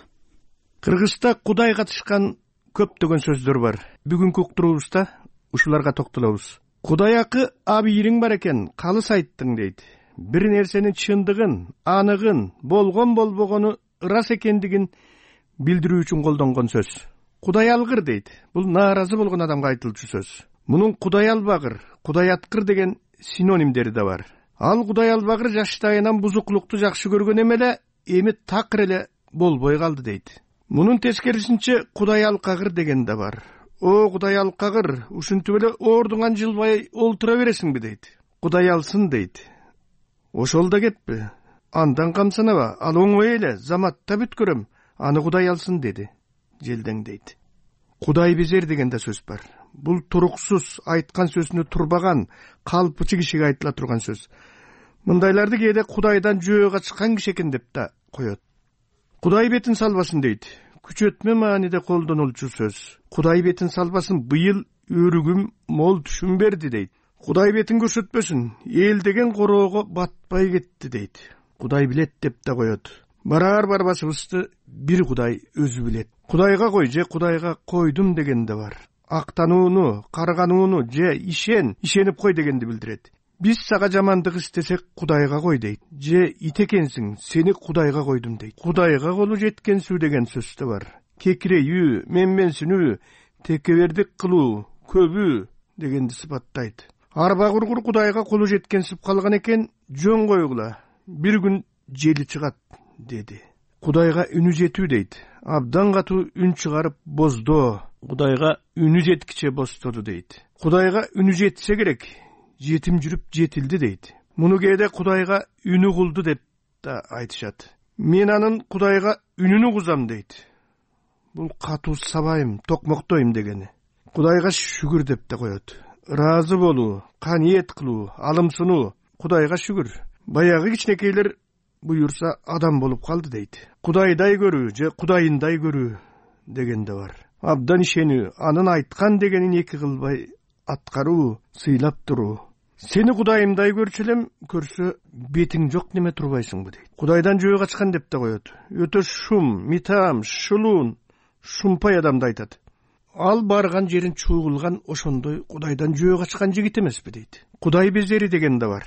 Кыргызда Кудай катышкан көптөгөн сөздөр бар. Бүгүнкү уктуруубузда ушуларга токтолобуз. Кудай акы абийириң бар экен, калыс айттың дейт. Бир нерсенин чындыгын, аныгын, болгон болбогону ырас экендигин билдирүү үчүн колдонгон сөз. Кудай алгыр дейт. Бул нааразы болгон адамга айтылчу сөз. Мунун кудай албагыр, кудай аткыр деген синонимдери да бар. Ал кудай албагыр жаштайынан бузуклукту жакшы көргөн эмеле, эми такыр эле болбой калды дейт. Мунун тескерисинче кудай алкагыр деген да бар. О кудай алкагыр, ушинтип эле ордуңан жылбай олтура бересиңби дейт. Кудай алсын дейт. Ошол да кетпи. Андан камсанаба, ал оңой эле, заматта бүткөрөм, аны кудай алсын деди. Желдең дейт. Кудай безер деген да сөз бар. Бул туруксуз, айткан сөзүнө турбаган, калпычы кишиге айтыла турган сөз. Мындайларды кээде кудайдан жөө качкан киши экен деп да коет. Кудай бетин салбасын дейт. Күчөтмө мааниде колдонулчу сөз. Кудай бетин салбасын, быйыл өрүгүм мол түшүм берди дейт. Кудай бетин көрсөтпөсүн, эл деген короого батпай кетти дейт. Кудай билет деп да коет. Барар барбасыбызды бир Кудай өзү билет. Кудайга кой же Кудайга койдум деген да бар. Актанууну, карганууну же ишен, ишенип кой дегенди билдирет. Биз сага жамандык истесек Кудайга кой дейт. Же ит экенсиң, сени Кудайга койдум дейт. Кудайга колу жеткенсүү деген сөз да бар. Кекирейүү, менменсинүү, текебердик кылуу, көбүү дегенди сыпаттайт. Арба кургур Кудайга колу жеткенсип калган экен, жөн койгула. Бир күн жели чыгат деди. Кудайга үнү жетүү дейт. Абдан катуу үн чыгарып боздо. Кудайга үнү жеткиче бостоду дейт. Кудайга үнү жетсе керек, жетим жүрүп жетилди дейт. Муну кээде Кудайга үнү кулду деп да айтышат. Мен анын Кудайга үнүн угузам дейт. Бул катуу сабайым, токмоктойм дегени. Кудайга шүгүр деп да коет. Разы болуу, каниет кылуу, алымсынуу, Кудайга шүгүр. Баягы кичинекейлер буюрса адам болуп калды дейт. Кудайдай көрүү же Кудайындай көрүү деген да бар. Абдан ишенүү, анын айткан дегенин эки кылбай аткаруу, сыйлап туруу. Сени Кудайымдай көрчү элем, көрсө бетиң жок неме турбайсыңбы дейт. Кудайдан жөө качкан деп да коет. Өтө шум, митам, шулуун, шумпай адамды айтат. Ал барган жерин чуугулган ошондой Кудайдан жөө качкан жигит эмеспи дейт. Кудай безери деген да бар.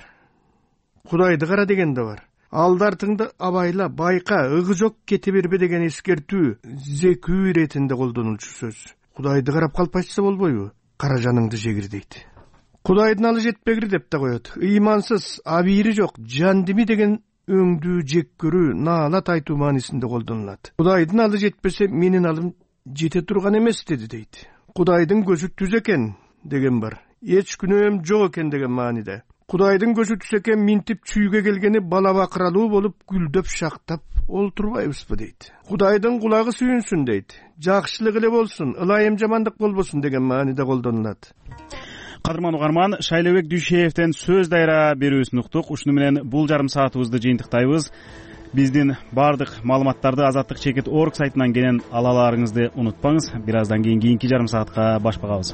Кудайды кара деген да бар. Алдартыңды абайла, байка, ыгы жок кете бербе деген эскертүү, зекүү иретинде колдонулчу сөз. Кудайды карап калпайчса болбойбу? Кара жаныңды жегир дейт. Кудайдын алы жетпегир деп да коет. Ыймансыз, абийири жок, жандими деген өңдүү жек көрүү, наалат айтуу маанисинде колдонулат. Кудайдын алы жетпесе, менин алым жете турган эмес деди дейт. Кудайдын көзү түз экен деген бар. Эч күнөөм жок экен деген мааниде. Кудайдын көзү түшө экен минтип чүйгө келгени бала бакыралуу болуп гүлдөп шактап олтурбайбызбы дейт. Кудайдын кулагы сүйүнсүн дейт. Жакшылык эле болсун, ылайым жамандык болбосун деген мааниде колдонулат. Кадырман угарман, Шайлообек Дүйшеевден сөз дайра берүүсүн уктук. Ушуну менен бул жарым саатыбызды жыйынтыктайбыз. Биздин баардык маалыматтарды Азаттык чекит орг сайтынан кенен ала аларыңызды унутпаңыз. Бир аздан кийин кийинки жарым саатка баш багабыз.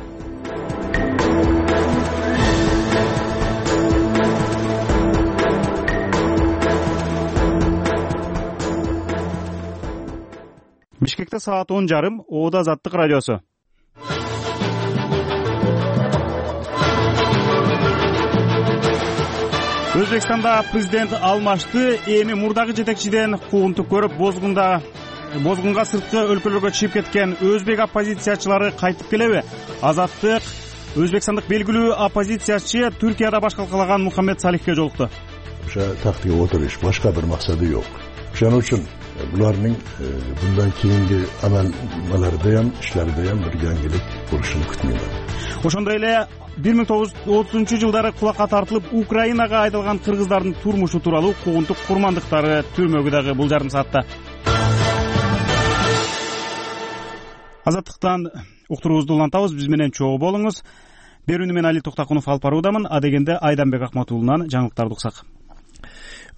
Бишкекте саат он жарым, Оодо Азаттык радиосу. Өзбекстанда президент алмашты. Эми мурдагы жетекчиден куугунтук көрүп, бозгунда бозгунга сырткы өлкөлөргө чыгып кеткен өзбек оппозициячылары кайтып келеби? Азаттык өзбекстандык белгилүү оппозициячы Түркияда баш калкалаган Мухаммед Салихке жолукту. Ошо тактык отуруш, башка бир максаты жок. Ошон үчүн булардын bundan кийинки амалдары ham, иштери ham бир жаңгылык болушун күтмөйм. Ошондой эле бир миң тогуз жүз отузунчу жылдары кулакка тартылып Украинага айдалган кыргыздардын турмушу тууралуу куугунтук курмандыктары түрмөгү дагы бул жарым саатта. Азаттыктан уктуруубузду улантабыз, биз менен чогуу болуңуз. Берүүнү мен Али Токтакунов алып баруудамын. Адегенде Айданбек Акматуулунан жаңылыктарды уксак.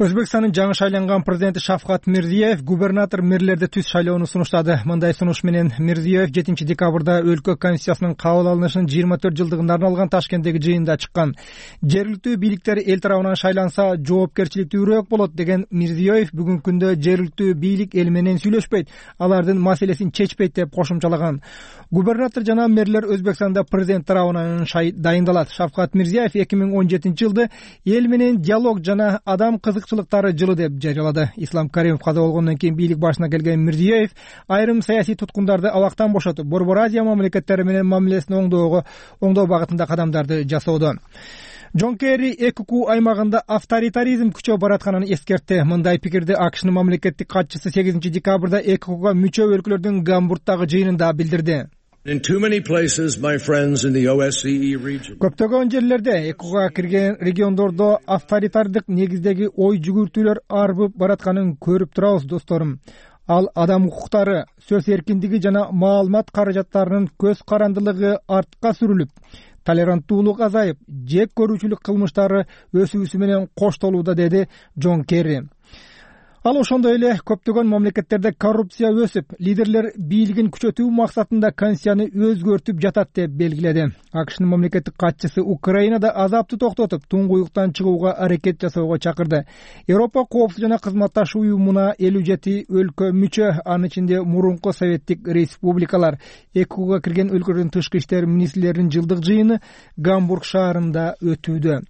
Өзбекстандын жаңы шайланган президенти Шавкат Мирзиеев губернатор мэрлерди түз шайлоону сунуштады. Мындай сунуш менен Мирзиеев жетинчи декабрда өлкө конституциясынын кабыл алынышынын жыйырма төрт жылдыгына арналган Ташкенттеги жыйында чыккан. Жергиликтүү бийликтер эл тарабынан шайланса жоопкерчиликтүүрөөк болот деген Мирзиеев бүгүнкү күндө жергиликтүү бийлик эл менен сүйлөшпөйт, алардын маселесин чечпейт деп кошумчалаган. Губернатор жана мэрлер Өзбекстанда президент тарабынан дайындалат. Шавкат Мирзиеев эки миң он жетинчи жылды эл менен диалог жана адам кызыкчылыктары жылы деп жарыялады. Ислам Каримов каза болгондон кийин бийлик башына келген Мирзиеев айрым саясий туткундарды абактан бошотуп, Борбор Азия мамлекеттери менен мамилесин оңдоого оңдоо багытында кадамдарды жасоодо. Джон Керри Экуку аймагында авторитаризм күчөп баратканын эскертти. Мындай пикирди АКШнын мамлекеттик катчысы сегизинчи декабрда Экукуга мүчө өлкөлөрдүн Гамбургдагы жыйынында билдирди. In too many places, my friends in the O S C E region. Көптөгөн жерлерде Экуга кирген региондордо авторитардык негиздеги ой жүгүртүүлөр арбып баратканын көрүп турабыз, досторум. Ал адам укуктары, сөз эркиндиги жана маалымат каражаттарынын көз карандылыгы артка сүрүлүп, толеранттуулук азайып, жек көрүүчүлүк кылмыштары өсүүсү менен коштолууда, деди Джон Керри. Ал ошондой эле көптөгөн мамлекеттерде коррупция өсүп, лидерлер бийлигин күчөтүү максатында конституцияны өзгөртүп жатат деп белгиледи. АКШнын мамлекеттик катчысы Украинада азапты токтотуп, туңгуюктан чыгууга аракет жасоого чакырды. Европа коопсуздук жана кызматташ уюмуна элүү жети өлкө мүчө, анын ичинде мурунку советтик республикалар. Экуга кирген өлкөлөрдүн тышкы иштер министрлеринин жылдык жыйыны Гамбург шаарында өтүүдө.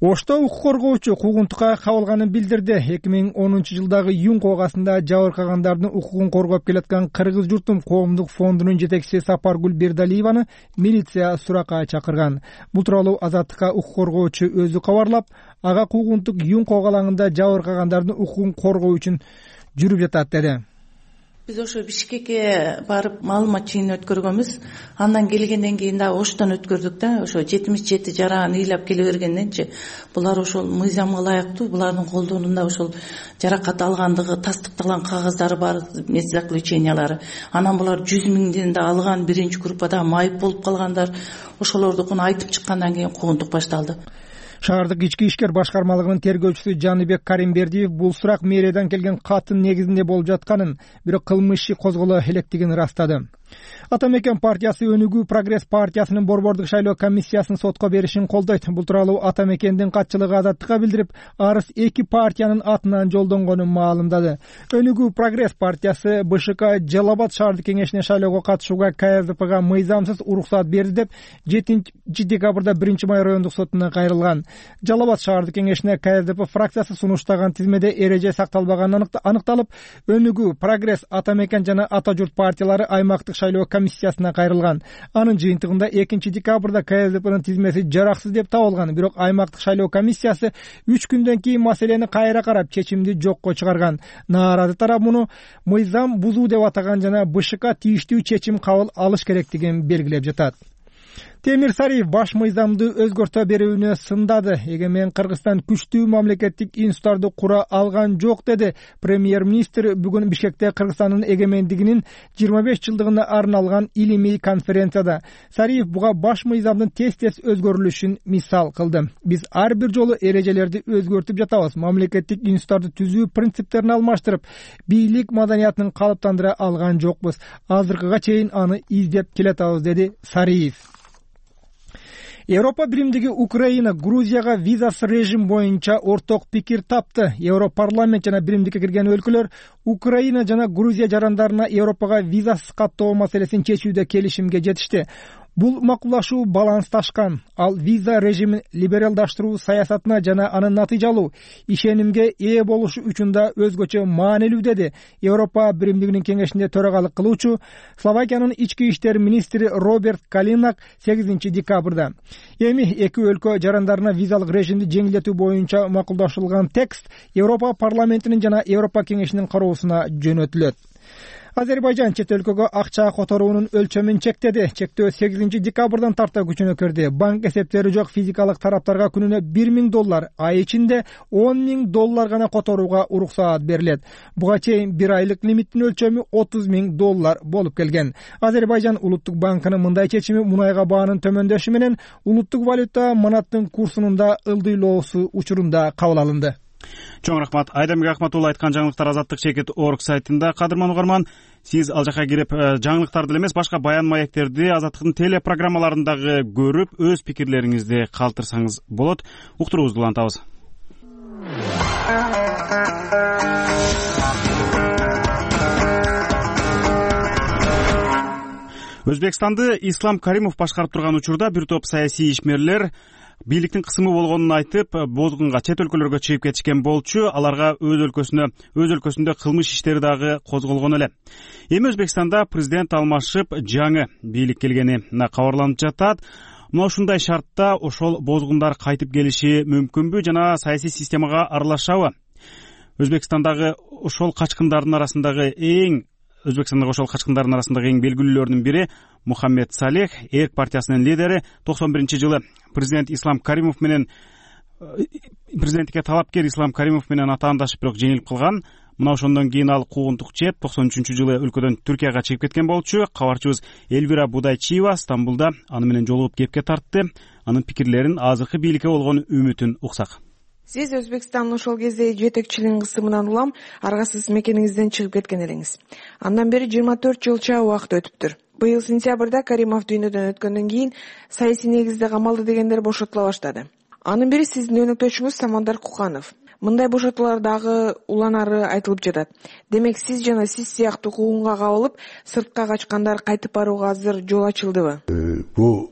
Ошто укук коргоочу куугунтукка кабылганын билдирди. эки миң онунчу жылдагы июнь коогасында жабыркагандардын укугун коргоп келаткан Кыргыз журтум коомдук фондунун жетекчиси Сапаргүл Бердалиеваны милиция суракка чакырган. Бул тууралуу Азаттыкка укук коргоочу өзү кабарлап, ага куугунтук июнь коогалаңында жабыркагандардын укугун коргоо үчүн жүрүп жатат деди. Биз ошо Бишкекке барып маалымат жыйын өткөргөнбүз. Андан келгенден кийин да Оштон өткөрдүк да, ошо жетимиш жети жараан ыйлап келе бергенденчи булар ошол мыйзамга ылайыктуу, булардын колдонунда ошол жаракат алгандыгы тастыкталган кагаздары бар, мест заключениялары. Анан булар жүз миңден да алган, биринчи группада майып болуп калгандар. Ошолордукун айтып чыккандан кийин куугунтук башталды. Шаардык ички ишкер башкармалыгынын тергөөчүсү Жаныбек Каримбердиев бул сурак мэриядан келген каттын негизинде болуп жатканын, бирок кылмыш иши козголо электигин ырастады. Атамекен партиясы Өнүгүү Прогресс партиясынын борбордук шайлоо комиссиясын сотко беришин колдойт. Бул тууралуу Атамекендин катчылыгы Азаттыкка билдирип, арыз эки партиянын атынан жолдонгонун маалымдады. Өнүгүү Прогресс партиясы БШК Жалал-Абад шаардык кеңешине шайлоого катышууга КСДПга мыйзамсыз уруксат берди деп жетинчи декабрда биринчи май райондук сотуна кайрылган. Жалал-Абад шаардык кеңешине КСДП фракциясы сунуштаган тизмеде эреже сакталбаганы аныкталып, Өнүгүү Прогресс, Атамекен жана Ата журт партиялары аймактык шайлоо комиссиясына кайрылган. Анын жыйынтыгында экинчи декабрда КСДПнын тизмеси жараксыз деп табылган, бирок аймактык шайлоо комиссиясы үч күндөн кийин маселени кайра карап чечимди жокко чыгарган. Нааразы тарап муну мыйзам бузуу деп атаган жана БШК тийиштүү чечим кабыл алыш керектигин белгилеп жатат. Темир Сариев баш мыйзамды өзгөртө берүүнү сындады. Эгемен Кыргызстан күчтүү мамлекеттик институттарды кура алган жок деди. Премьер-министр бүгүн Бишкекте Кыргызстандын эгемендигинин жыйырма беш жылдыгына арналган илимий конференцияда Сариев буга баш мыйзамдын тез-тез өзгөрүлүшүн мисал кылды. Биз ар бир жолу эрежелерди өзгөртүп жатабыз. Мамлекеттик институттарды түзүү принциптерин алмаштырып, бийлик маданиятын калыптандыра алган жокпуз. Азыркыга чейин аны издеп келатабыз, деди Сариев. Европа биримдиги Украина Грузияга визасыз режим боюнча орток пикир тапты. Европарламент жана биримдикке кирген өлкөлөр Украина жана Грузия жарандарына Европага визасыз каттоо маселесин чечүүдө келишимге жетишти. Бул макулдашуу балансташкан. Ал виза режимин либералдаштыруу саясатына жана анын натыйжалуу ишенимге ээ болушу үчүн да өзгөчө маанилүү, деди Европа биримдигинин кеңешинде төрагалык кылуучу Словакиянын ички иштер министри Роберт Калинак сегизинчи декабрда. Эми эки өлкө жарандарына визалык режимди жеңилдетүү боюнча макулдашылган текст Европа парламентинин жана Европа кеңешинин кароосуна жөнөтүлөт. Азербайжан чет өлкөгө акча которуунун өлчөмүн чектеди. Чектөө сегизинчи декабрдан тарта күчүнө кирди. Банк эсептери жок физикалык тараптарга күнүнө бир миң доллар, ай ичинде он миң доллар гана которууга уруксаат берилет. Буга чейин бир айлык лимиттин өлчөмү отуз миң доллар болуп келген. Азербайжан улуттук банкынын мындай чечими мунайга баанын төмөндөшү менен улуттук валюта манаттын курсунун да ылдыйлоосу учурунда кабыл алынды. Чоң рахмат. Айдамбек Акматулла айткан жаңылыктар Азаттык чекит орг сайтында. Кадырман угарман, сиз ал жака кирип жаңылыктарды эле эмес, башка баян маектерди Азаттыктын телепрограммаларындагы көрүп, өз пикирлериңизди калтырсаңыз болот. Уктуруубузду улантабыз. Өзбекстанды Ислам Каримов башкарып турган учурда бир топ саясий ишмерлер бийликтин кысымы болгонун айтып, бозгунга чет өлкөлөргө чыгып кетишкен болчу. Аларга өз өлкөсүнө, өз өлкөсүндө кылмыш иштери дагы козголгон эле. Эми Өзбекстанда президент алмашып, жаңы бийлик келгени кабарланып жатат. Мына ушундай шартта ошол бозгундар кайтып келиши мүмкүнбү жана саясий системага аралашабы? Өзбекстандагы ошол качкындардын арасындагы эң Өзбекстандагы ошол качкындардын арасындагы эң белгилүүлөрүнүн бири Мухаммед Салех, Эрк партиясынын лидери, токсон биринчи жылы президент Ислам Каримов менен президенттикке талапкер Ислам Каримов менен атаандашып, бирок жеңилип калган. Мына ошондон кийин ал куугунтук чеп токсон үчүнчү жылы өлкөдөн Түркияга чыгып кеткен болчу. Кабарчыбыз Эльвира Будайчиева Стамбулда аны менен жолугуп кепке тартты. Анын пикирлерин азыркы бийликке болгон үмүтүн уксак. Сиз Өзбекстандын ошол кезде жетекчилигинин кысымынан улам аргасыз мекениңизден чыгып кеткен элеңиз. Андан бери жыйырма төрт жылча убакыт өтүптүр. Быйыл сентябрда Каримов дүйнөдөн өткөндөн кийин саясий негизде камалды дегендер бошотула баштады. Анын бири сиздин өнөктөшүңүз Самандар Куканов. Мындай бошотуулар дагы уланары айтылып жатат. Демек, сиз жана сиз сыяктуу куугунга кабылып, сыртка качкандар кайтып барууга азыр жол ачылдыбы? Бул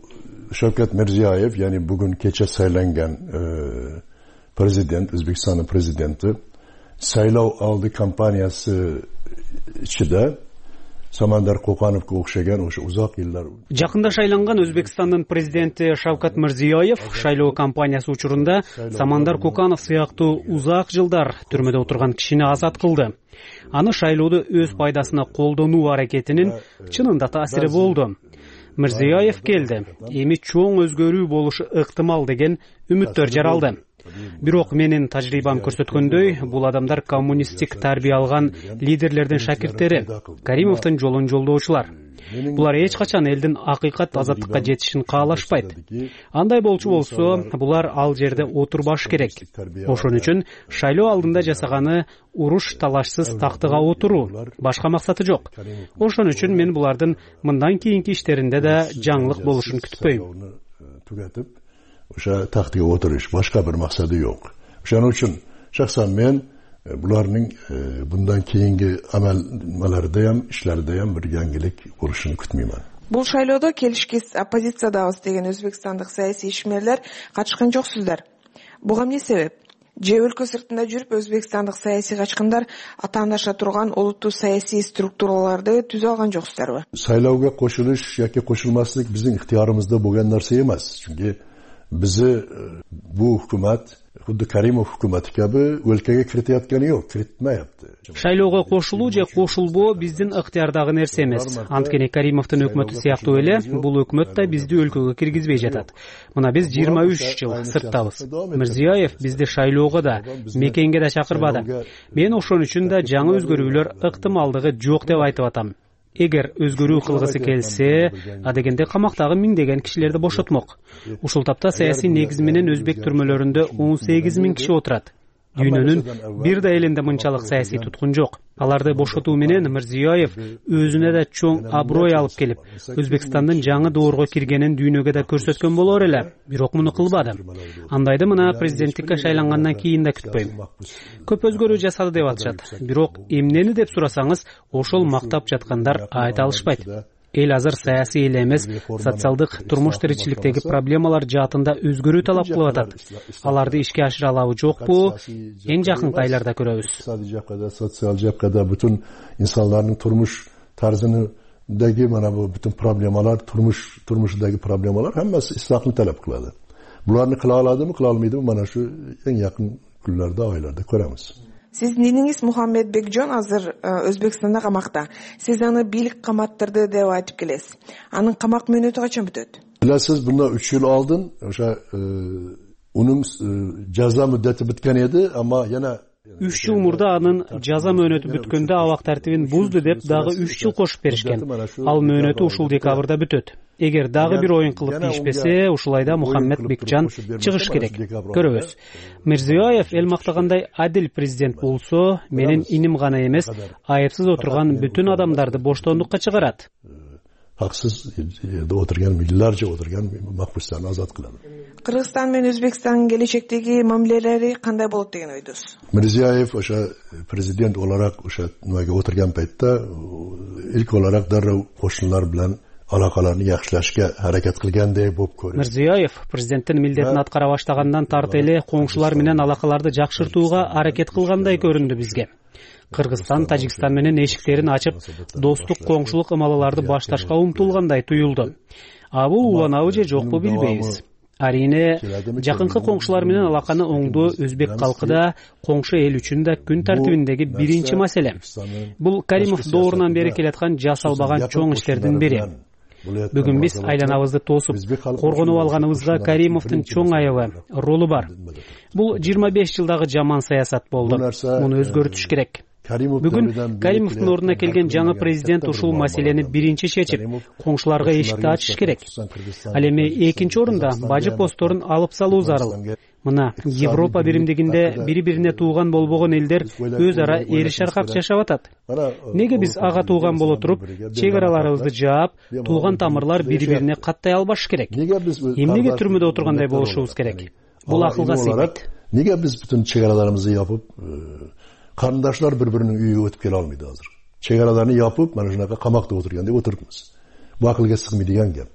Шавкат Мирзиёев, яни бүгүн кече сайланган президент, Өзбекстандын президенти, сайлоо алды кампаниясы ичинде Самандар Кукановго окшогон ошо узак жылдар. Жакында шайланган Өзбекстандын президенти Шавкат Мирзиёев шайлоо кампаниясы учурунда Самандар Куканов сыяктуу узак жылдар түрмөдө отурган кишини азат кылды. Аны шайлоодо өз пайдасына колдонуу аракетинин чынында таасири болду. Мирзиёев келди. Эми чоң өзгөрүү болушу ыктымал деген үмүттөр жаралды. Бирок менин тажрыйбам көрсөткөндөй, бул адамдар коммунисттик тарбия алган лидерлердин шакирттери, Каримовдун жолун жолдоочулар. Булар эч качан элдин акыйкат азаттыкка жетишин каалашпайт. Андай болчу болсо, булар ал жерде отурбаш керек. Ошон үчүн шайлоо алдында жасаганы уруш талашсыз тактыга отуруу, башка максаты жок. Ошон үчүн мен булардын мындан кийинки иштеринде да жаңылык болушун күтпөйм. Ошо тактыга отуруш, башка бир максаты жок. Ошон үчүн шахсан мен булардын bundan кийинки амалдарда ham, ишлерде ham бир жаңылык болушун күтмөймүн. Бул шайлоодо келишкис оппозициядабыз деген өзбекстандык саясий ишмерлер качкан жоксуздар. Буга эмне себеп? Же өлкө сыртында жүрүп өзбекстандык саясий качкындар атаандаша турган улуттуу саясий структураларды түзө алган жоксуздарбы? Сайлоого кошулуш яки кошулмаслык биздин ыктыярыбызда болгон нерсе эмес. Чүнки bizi bu hukumat Худды Каримов өкмөтү кеби өлкөгө кирите атканы жок, киритмейапты. Шайлоого кошулуу же кошулбоо биздин ыктыярдагы нерсе эмес. Анткени Каримовдун өкмөтү сыяктуу эле бул өкмөт да бизди өлкөгө киргизбей жатат. Мына биз жыйырма үч жыл сырттабыз. Мирзиёев бизди шайлоого да, мекенге да чакырбады. Мен ошон үчүн да жаңы өзгөрүүлөр ыктымалдыгы жок деп айтып атам. Эгер өзгөрүү кылгысы келсе, адегенде камактагы миңдеген кишилерди бошотмок. Ушул тапта саясий негиз менен өзбек түрмөлөрүндө он сегиз миң киши отурат. Дүйнөнүн бир да элинде мынчалык саясий туткун жок. Аларды бошотуу менен Мирзиёев өзүнө да чоң аброй алып келип, Өзбекстандын жаңы доорго киргенин дүйнөгө да көрсөткөн болор эле. Бирок муну кылбады. Андайды мына президенттикке шайлангандан кийин да күтпөйм. Көп өзгөрүү жасады деп атышат. Бирок эмнени деп сурасаңыз, ошол мактап жаткандар айта алышпайт. Эл азыр саясий эле эмес, социалдык турмуш тиричиликтеги проблемалар жаатында өзгөрүү талап кылып атат. Аларды ишке ашыра алабы жокпу, эң жакынкы айларда көрөбүз. Икътисадий жаккада, социал жаккада бүтүн инсандардын турмуш тарзындагы мана бу бүтүн проблемалар, турмуш турмушдагы проблемалар хаммасы ислахны талап кылады. Буларны кыла аладымы, кыла алмайдымы, мана шу эң жакын күнлөрдө, айларда көрөбүз. Сиздин иниңиз Мухаммед Бекжон азыр Өзбекстанда камакта. Сиз аны бийлик каматтырды деп айтып келесиз. Анын камак мөөнөтү качан бүтөт? Билесиз, бундан үч жыл алдын ошо унун жаза муддати бүткөн эди, ама жана үч жыл мурда анын жаза мөөнөтү бүткөндө абак тартибин бузду деп дагы үч жыл кошуп беришкен. Ал мөөнөтү ушул декабрда бүтөт. Эгер дагы бир оюн кылып тийишпесе, ушул айда Мухаммед Бекжан чыгыш керек. Көрөбүз. Мирзиёев эл мактагандай адил президент болсо, менин иним гана эмес, айыпсыз отурган бүтүн адамдарды боштондукка чыгарат. Хаксыз отурган, миллионlarca отурган макбустарды азат кылат. Кыргызстан менен Өзбекстандын келечектеги мамилелери кандай болот деген ойдосуз? Мирзиёев ошо президент olarak ошо немеге отурган пайтта илк olarak дароо кошуналар менен алакаларны жакшылашка аракет кылгандай болуп көрүнөт. Мирзиёев президенттин милдетин аткара баштагандан тарты эле коңшулар менен алакаларды жакшыртууга аракет кылгандай көрүндү бизге. Кыргызстан Тажикстан менен эшиктерин ачып, достук коңшулук ымалаларды башташка умтулгандай туюлду. А бул уланабы же жокпу билбейбиз. Арине, жакынкы коңшулар менен алаканы оңдоо өзбек калкы да, коңшу эл үчүн да күн тартибиндеги биринчи маселе. Бул Каримов доорунан бери келаткан жасалбаган чоң иштердин бири. Бүгүн биз айланабызды тосуп, коргонуп алганыбызга Каримовдун чоң аябы, ролу бар. Бул жыйырма беш жылдагы жаман саясат болду. Муну өзгөртүш керек. Бүгүн Каримовдун ордуна келген жаңы президент ушул маселени биринчи чечип, коңшуларга эшикти ачыш керек. Ал эми экинчи орунда бажы постторун алып салуу зарыл. Мына Европа биримдигинде бири-бирине тууган болбогон элдер өз ара эриш аркак жашап атат. Неге биз ага тууган боло туруп, чек араларыбызды жаап, тууган тамырлар бири-бирине каттай албаш керек? Эмнеге түрмөдө отургандай болушубуз керек? Бул акылга сыйбайт. Неге биз бүтүн чек араларыбызды япып, карындашлар бири-биринин үйүгө өтүп келе алмайт азыр? Чек араларны япып, mana shunaqa камакта отургандай отурубуз. Бул акылга сыгмайдыган кеп.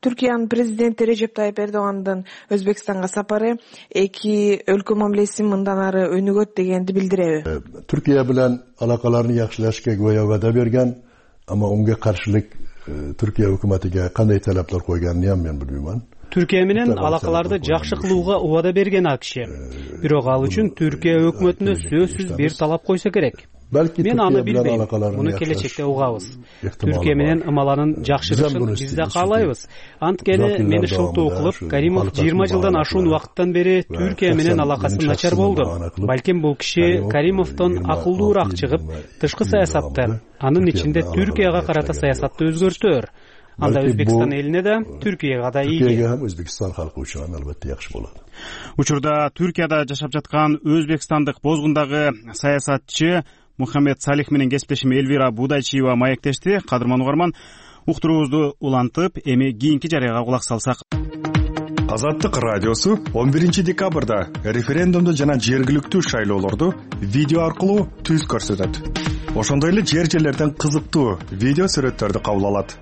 Түркиянын президенти Режеп Тайып Эрдогандын Өзбекстанга сапары эки өлкө мамилесин мындан ары өнүгөт дегенди билдиреби? Түркия менен алакаларны жакшылашка гоя вада берген, ама унга каршылык Түркия өкмөтүгө кандай талаптар койгонун мен билбейм. Түркия менен алакаларды жакшы кылууга убада берген АКШ. Бирок ал үчүн Түркия өкмөтүнө сөзсүз бир талап койсо керек. Мен аны билбейм. Муну келечекте угабыз. Түркия менен ымаланын жакшырышын биз да каалайбыз. Анткени мени шылтоо кылып, Каримов жыйырма жылдан ашуун убакыттан бери Түркия менен алакасы начар болду. Балким бул киши Каримовдон акылдуураак чыгып, тышкы саясатты, анын ичинде Түркияга карата саясатты өзгөртөр. Анда Өзбекстан элине да, Түркияга да ийги. Түркияга ham Өзбекстан халкы үчүн албетте жакшы болот. Учурда Түркияда жашап жаткан өзбекстандык бозгундагы саясатчы Мухаммед Салих менен кесиптешим Элвира Будайчиева маектешти. Кадырман угарман, уктуруубузду улантып, эми кийинки жарыяга кулак салсак. Азаттык радиосу он биринчи декабрда референдумду жана жергиликтүү шайлоолорду видео аркылуу түз көрсөтөт. Ошондой эле жер жерлерден кызыктуу видео сүрөттөрдү кабыл алат.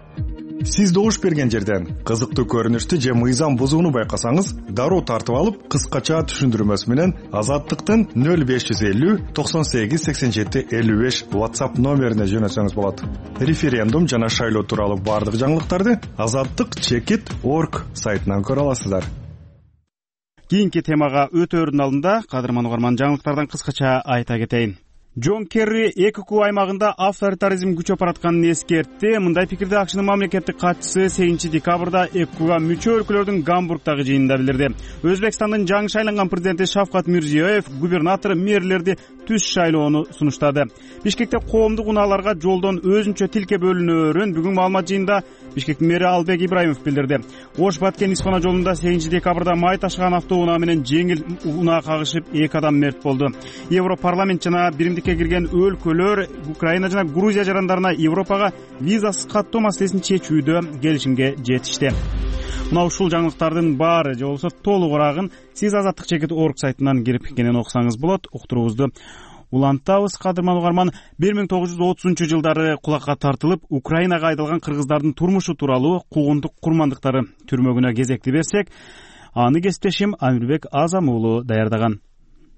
Сиз добуш берген жерден кызыктуу көрүнүштү же мыйзам бузууну байкасаңыз, дароо тартып алып, кыскача түшүндүрмөсү менен Азаттыктын нөл беш жүз элүү токсон сегиз сексен жети элүү беш WhatsApp номерине жөнөтсөңүз болот. Референдум жана шайлоо тууралуу бардык жаңылыктарды азаттык чекит точка орг сайтынан көрө аласыздар. Кийинки темага өтөөрдүн алдында кадырман угарман жаңылыктардан кыскача айта кетейин. Джон Керри эки куб аймагында авторитаризм күчөп баратканын эскертти. Мындай пикирди АКШнын мамлекеттик катчысы сегизинчи декабрда эки кубга мүчө өлкөлөрдүн Гамбургдагы жыйынында билдирди. Өзбекстандын жаңы шайланган президенти Шавкат Мирзиёев губернатор, мэрлерди түз шайлоону сунуштады. Бишкекте коомдук унааларга жолдон өзүнчө тилке бөлүнөөрүн бүгүн маалымат жыйында Бишкектин мэри Албек Ибраимов билдирди. Ош-Баткен-Испана жолунда сегизинчи декабрда май ташыган автоунаа менен жеңил унаа кагышып эки адам мерт болду. Европарламент жана биримдикке кирген өлкөлөр Украина жана Грузия жарандарына Европага визасыз каттоо маселесин чечүүдө келишимге жетишти. Мына ушул жаңылыктардын баары же болбосо толугураагын сиз азаттык чекит точка орг сайтынан кирип кенен окусаңыз болот. Уктуруубузду улантабыз. Кадырман угарман, бир миң тогуз жүз отузунчу жылдары кулакка тартылып Украинага айдалган кыргыздардын турмушу тууралуу куугунтук курмандыктары түрмөгүнө кезекти берсек, аны кесиптешим Амирбек Азам уулу даярдаган.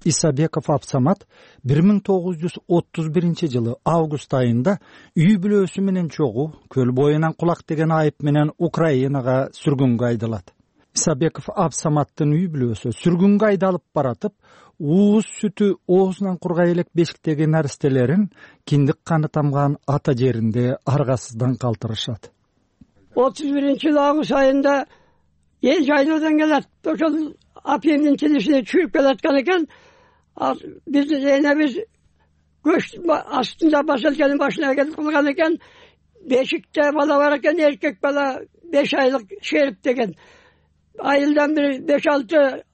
Исабеков Абсамат бир миң тогуз жүз отуз биринчи жылы август айында үй бүлөсү менен чогуу көл боюнан кулак деген айып менен Украинага сүргүнгө айдалат. Исабеков Абсаматтын үй бүлөсү сүргүнгө айдалып баратып, ууз сүтү оозунан кургай элек бешиктеги наристелерин киндик каны тамган ата жеринде аргасыздан калтырышат. отуз биринчи жылы август айында эл жайлоодан келет. Ошол апемдин тилишине чүйүп келаткан экен. Биз эне биз көч астында поселкенин башына келип калган экен. Бешикте бала бар экен, эркек бала беш айлык шерип деген. Айылдан бир беш алты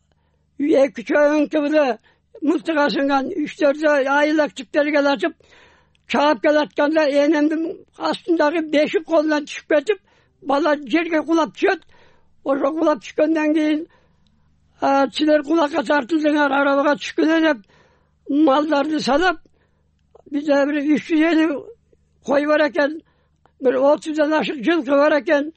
эки чөңкүбүлө мылтык асынган үч төрт айылак чиптери келатып чаап келатканда энемдин астындагы бешик колунан түшүп кетип, бала жерге кулап түшөт. Ошо кулап түшкөндөн кийин силер кулакка тартылдыңар, арабага түшкүлө деп малдарды салап, бизде бир үч жүз элүү кой бар экен, бир отуздан ашык жылкы бар экен,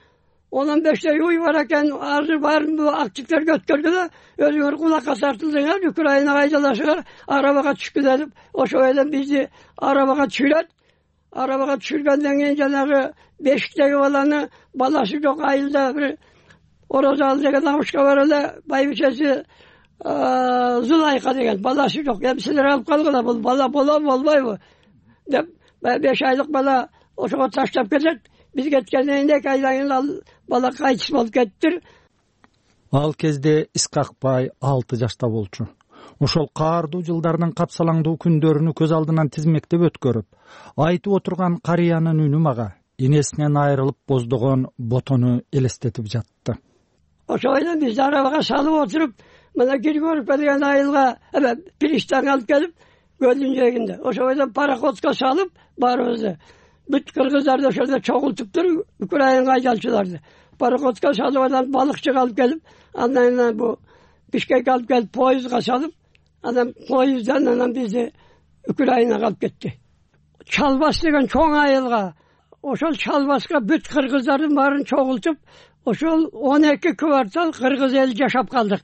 он бештей уй бар экен. Азыр баарын бул активтерге өткөргүлө, өзүңөр кулакка тартылдыңар, Украинага айдаласыңар, арабага түшкүлө деп, ошо эле бизди арабага түшүрөт. Арабага түшүргөндөн кийин жанагы бешиктеги баланы баласы жок айылда бир Орозалы деген абышка бар эле, байбичеси Зулайка деген баласы жок. Эми силер алып калгыла, бул бала болобу болбойбу деп беш айлык бала ошого таштап кетет. Биз кеткенден кийин эки айдан кийин ал бала кайтыш болуп кетти. Ал кезде Искакбай алты жашта болчу. Ошол каардуу жылдардын капсалаңдуу күндөрүнү көз алдынан тизмектеп өткөрүп, айтып отурган карыянын үнү мага энесинен айрылып боздогон ботону элестетип жатты. Ошо менен бизди арабага салып отуруп, мына Григорьев деген айылга эме пристанга алып келип, көлдүн жээгинде. Ошо менен пароходко салып баарыбызды. Бүт кыргыздарды ошолдо чогултуптур, Украинага айдалчыларды. Пароходко салып, анан балыкчыга алып келип, андан бу Бишкекке алып келип, поездга салып, анан поезддан анан бизди Украинага алып кетти. Чалбас деген чоң айылга, ошол Чалбаска бүт кыргыздардын баарын чогултуп, ошол он эки квартал кыргыз эл жашап калдык.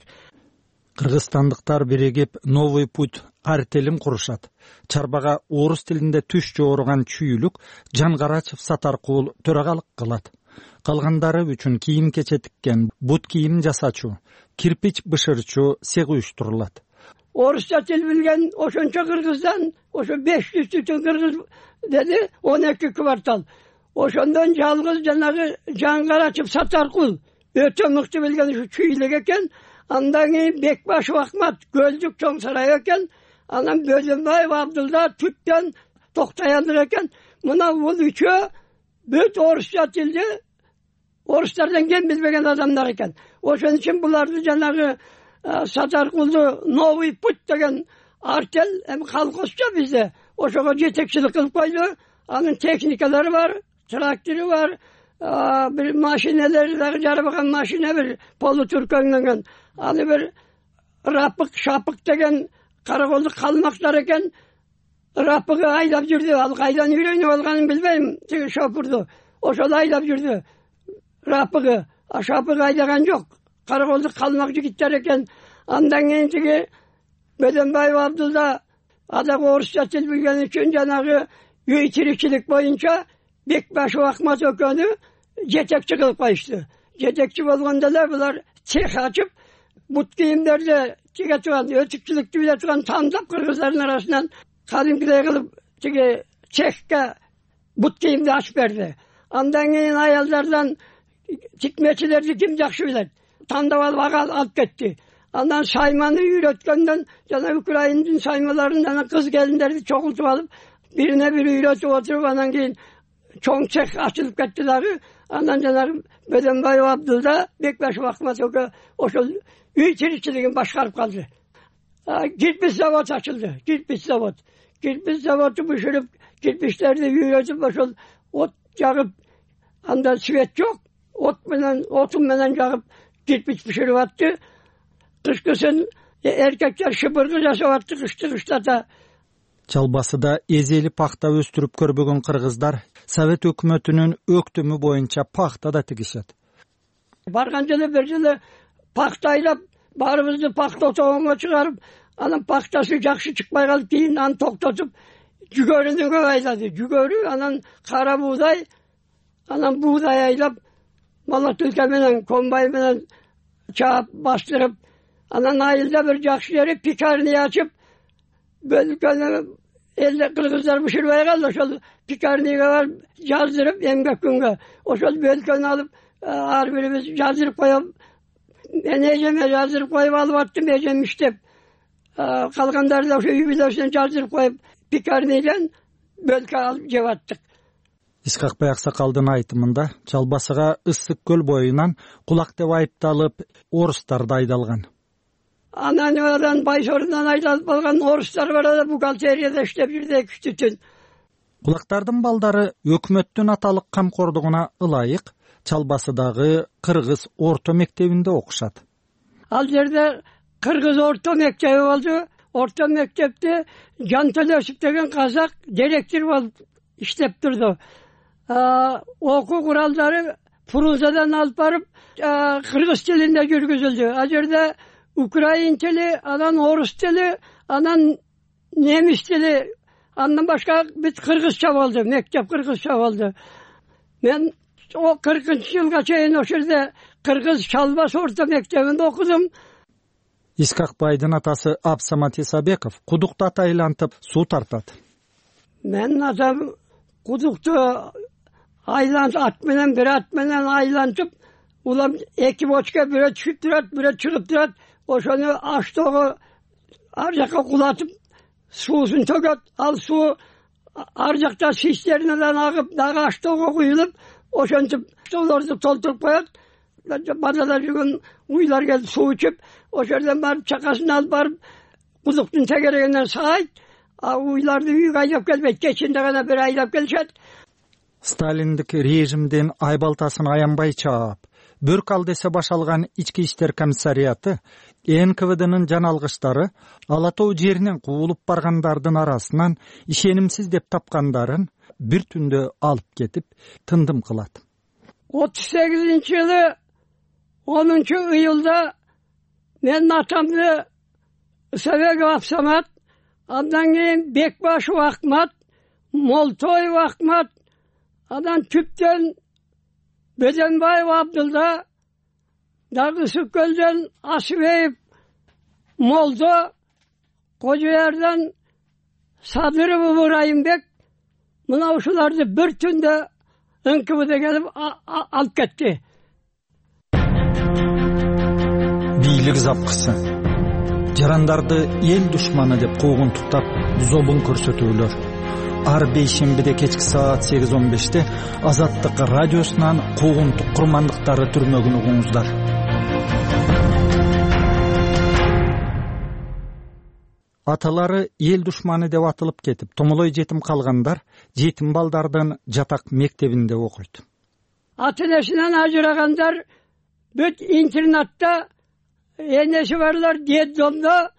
Кыргызстандыктар биригип Новый путь артелин курушат. Чарбага орус тилинде түш жооруган чүйүлүк Жангарачев Сатаркул төрагалык кылат. Калгандары үчүн кийим кече тиккен, бут кийим жасачу, кирпич бышырчу сег уюштурулат. Орусча тил билген ошончо кыргыздан, ошо беш жүз түтүн кыргыз деди, он эки квартал. Ошондон жалгыз жанагы Жангарачев Сатаркул өтө мыкты билген ушу чүйлүк экен. Андан кийин Бекбашев Акмат Көлдүк чоң сарай экен. Анан Бөлөнбаев Абдулда Түттөн Токтояндык экен. Мына бул үчөө бүт орусча тилди орустардан кем билбеген адамдар экен. Ошон үчүн буларды жанагы Сатаркулду Новый путь деген артел эми колхозчу бизде ошого жетекчилик кылып койду. Анын техникалары бар, трактору бар, бир машиналары дагы жарбаган машина бир полутуркөңдөн. Аны бир Рапык Шапык деген караколдук калмактар экен. Рапыгы айдап жүрдү. Ал кайдан үйрөнүп алганын билбейм. Тиги шопурду. Ошол айдап жүрдү. Рапыгы, а Шапык айдаган жок. Караколдук калмак жигиттер экен. Андан кийин тиги Бөлөнбаев Абдулда адагы орусча тил билген үчүн жанагы үй тиричилик боюнча Бекбашев Акмат экөөнү жетекчи кылып коюшту. Жетекчи болгондо эле булар цех ачып, бут кийимдерди тиге турган, өтүкчүлүктү биле турган тандап кыргыздардын арасынан кадимкидей кылып тиги цехке бут кийимди ачып берди. Андан кийин аялдардан тикмечилерди ким жакшы билет, тандап алып ага алып кетти. Андан сайманы үйрөткөндөн жана Украинадын саймаларын жана кыз келиндерди чогултуп алып, бирине бири үйрөтүп отуруп, анан кийин чоң цех ачылып кетти дагы. Андан жанагы Бөдөнбаев Абдулда Бекбашев Акмат экөө ошол үй тиричилигин башкарып калды. Кирпич завод ачылды, кирпич завод. Кирпич заводу бышырып, кирпичтерди үйрөтүп, ошол от жагып, анда свет жок, от менен, отун менен жагып кирпич бышырып атты. Кышкысын эркектер шыбыргы жасап атты, кышты кыштата. Чалбасыда эзели пахта өстүрүп көрбөгөн кыргыздар Совет өкмөтүнүн өктүмү боюнча пахта да тигишет. Барган жылы бир жылы пахта айлап, баарыбызды пахта тогонго чыгарып, анан пахтасы жакшы чыкпай калып, кийин аны токтотуп, жүгөрүнү көп айлады. Жүгөрү, анан кара буудай, анан буудай айлап, молотилка менен, комбайн менен чаап бастырып, анан айылда бир жакшы жери пекарня ачып, бөлкөнү элде кыргыздар бышырбай калды, ошол пекарняга барып жаздырып, эмгек күнгө ошол бөлкөнү алып, ар бирибиз жаздырып коюп, мен эжеме жаздырып коюп алып аттым, эжем иштеп, калгандарды да ошо үй бүлөсүнө жаздырып коюп, пекарнядан бөлкө алып жеп аттык. Исхакбай Аксакалдын айтымында Чалбасыга Ысык көл боюнан кулак деп айыпталып, орустар да айдалган. Анан Байсорундан айдалып калган орустар бар да бухгалтерияда иштеп жүрдү эки үч түн. Кулактардын балдары өкмөттүн аталык камкордугуна ылайык Чалбасыдагы кыргыз орто мектебинде окушат. Ал жерде кыргыз орто мектеби болду. Орто мектепте Жан Төлөсүп деген казак директор болуп иштеп турду. Окуу куралдары Фрунзадан алып барып, кыргыз тилинде жүргүзүлдү. А жерде украин тили, анан орус тили, анан немис тили, андан башка бүт кыргызча болду, мектеп кыргызча болду. Мен о кыркынчы жылга чейин ошол жерде кыргыз Чалбас орто мектебинде окудум. Исхакбайдын атасы Абсамат Исабеков кудукту айлантып суу тартат. Мен атам кудукту айлант ат менен, бир ат менен айлантып, улам эки бочка, бирөө түшүп турат, бирөө чыгып турат. Ошону аштоого ар жакка кулатып, суусун төгөт. Ал суу ар жакта цистернадан агып, дагы аштоого куюлуп, ошентип столорду толтуруп коет. Бадада жүргөн уйлар келип суу ичип, ошол жерден барып чакасын алып барып, кудуктун тегерегинен саайт, а уйларды үйгө айдап келбейт, кечинде гана бир айдап келишет. Сталиндик режимдин айбалтасын аянбай чаап, бөрк ал десе башалган ички иштер комиссариаты эн ка вэ дынын жаналгыштары Ала Тоо жеринен куулуп баргандардын арасынан ишенимсиз деп тапкандарын бир түндө алып кетип тындым кылат. отуз сегизинчи жылы онунчу июлда мен атамды Ысабеков Абсамат, андан кийин Бекбашев Акмат, Молтоев Акмат, анан түптөн Бөдөнбаев Абдулда, дагы Ысык көлдөн Асыбеев Молдо, Кожоярдан Садыров Ыбырайымбек, мына ушуларды бир түндө эн ка вэ келип алып кетти. Бийлик запкысы. Жарандарды эл душманы деп куугунтуктап, зобун көрсөтүүлөр. Ар бейшембиде кечки саат сегиз он беште Азаттык радиосунан куугунтук курмандыктары түрмөгүн угуңуздар. Аталары эл душманы деп атылып кетип, томолой жетим калгандар жетим балдардын жатак мектебинде окуйт. Ата-энесинен ажырагандар бүт интернатта, энеси барлар детдомдо,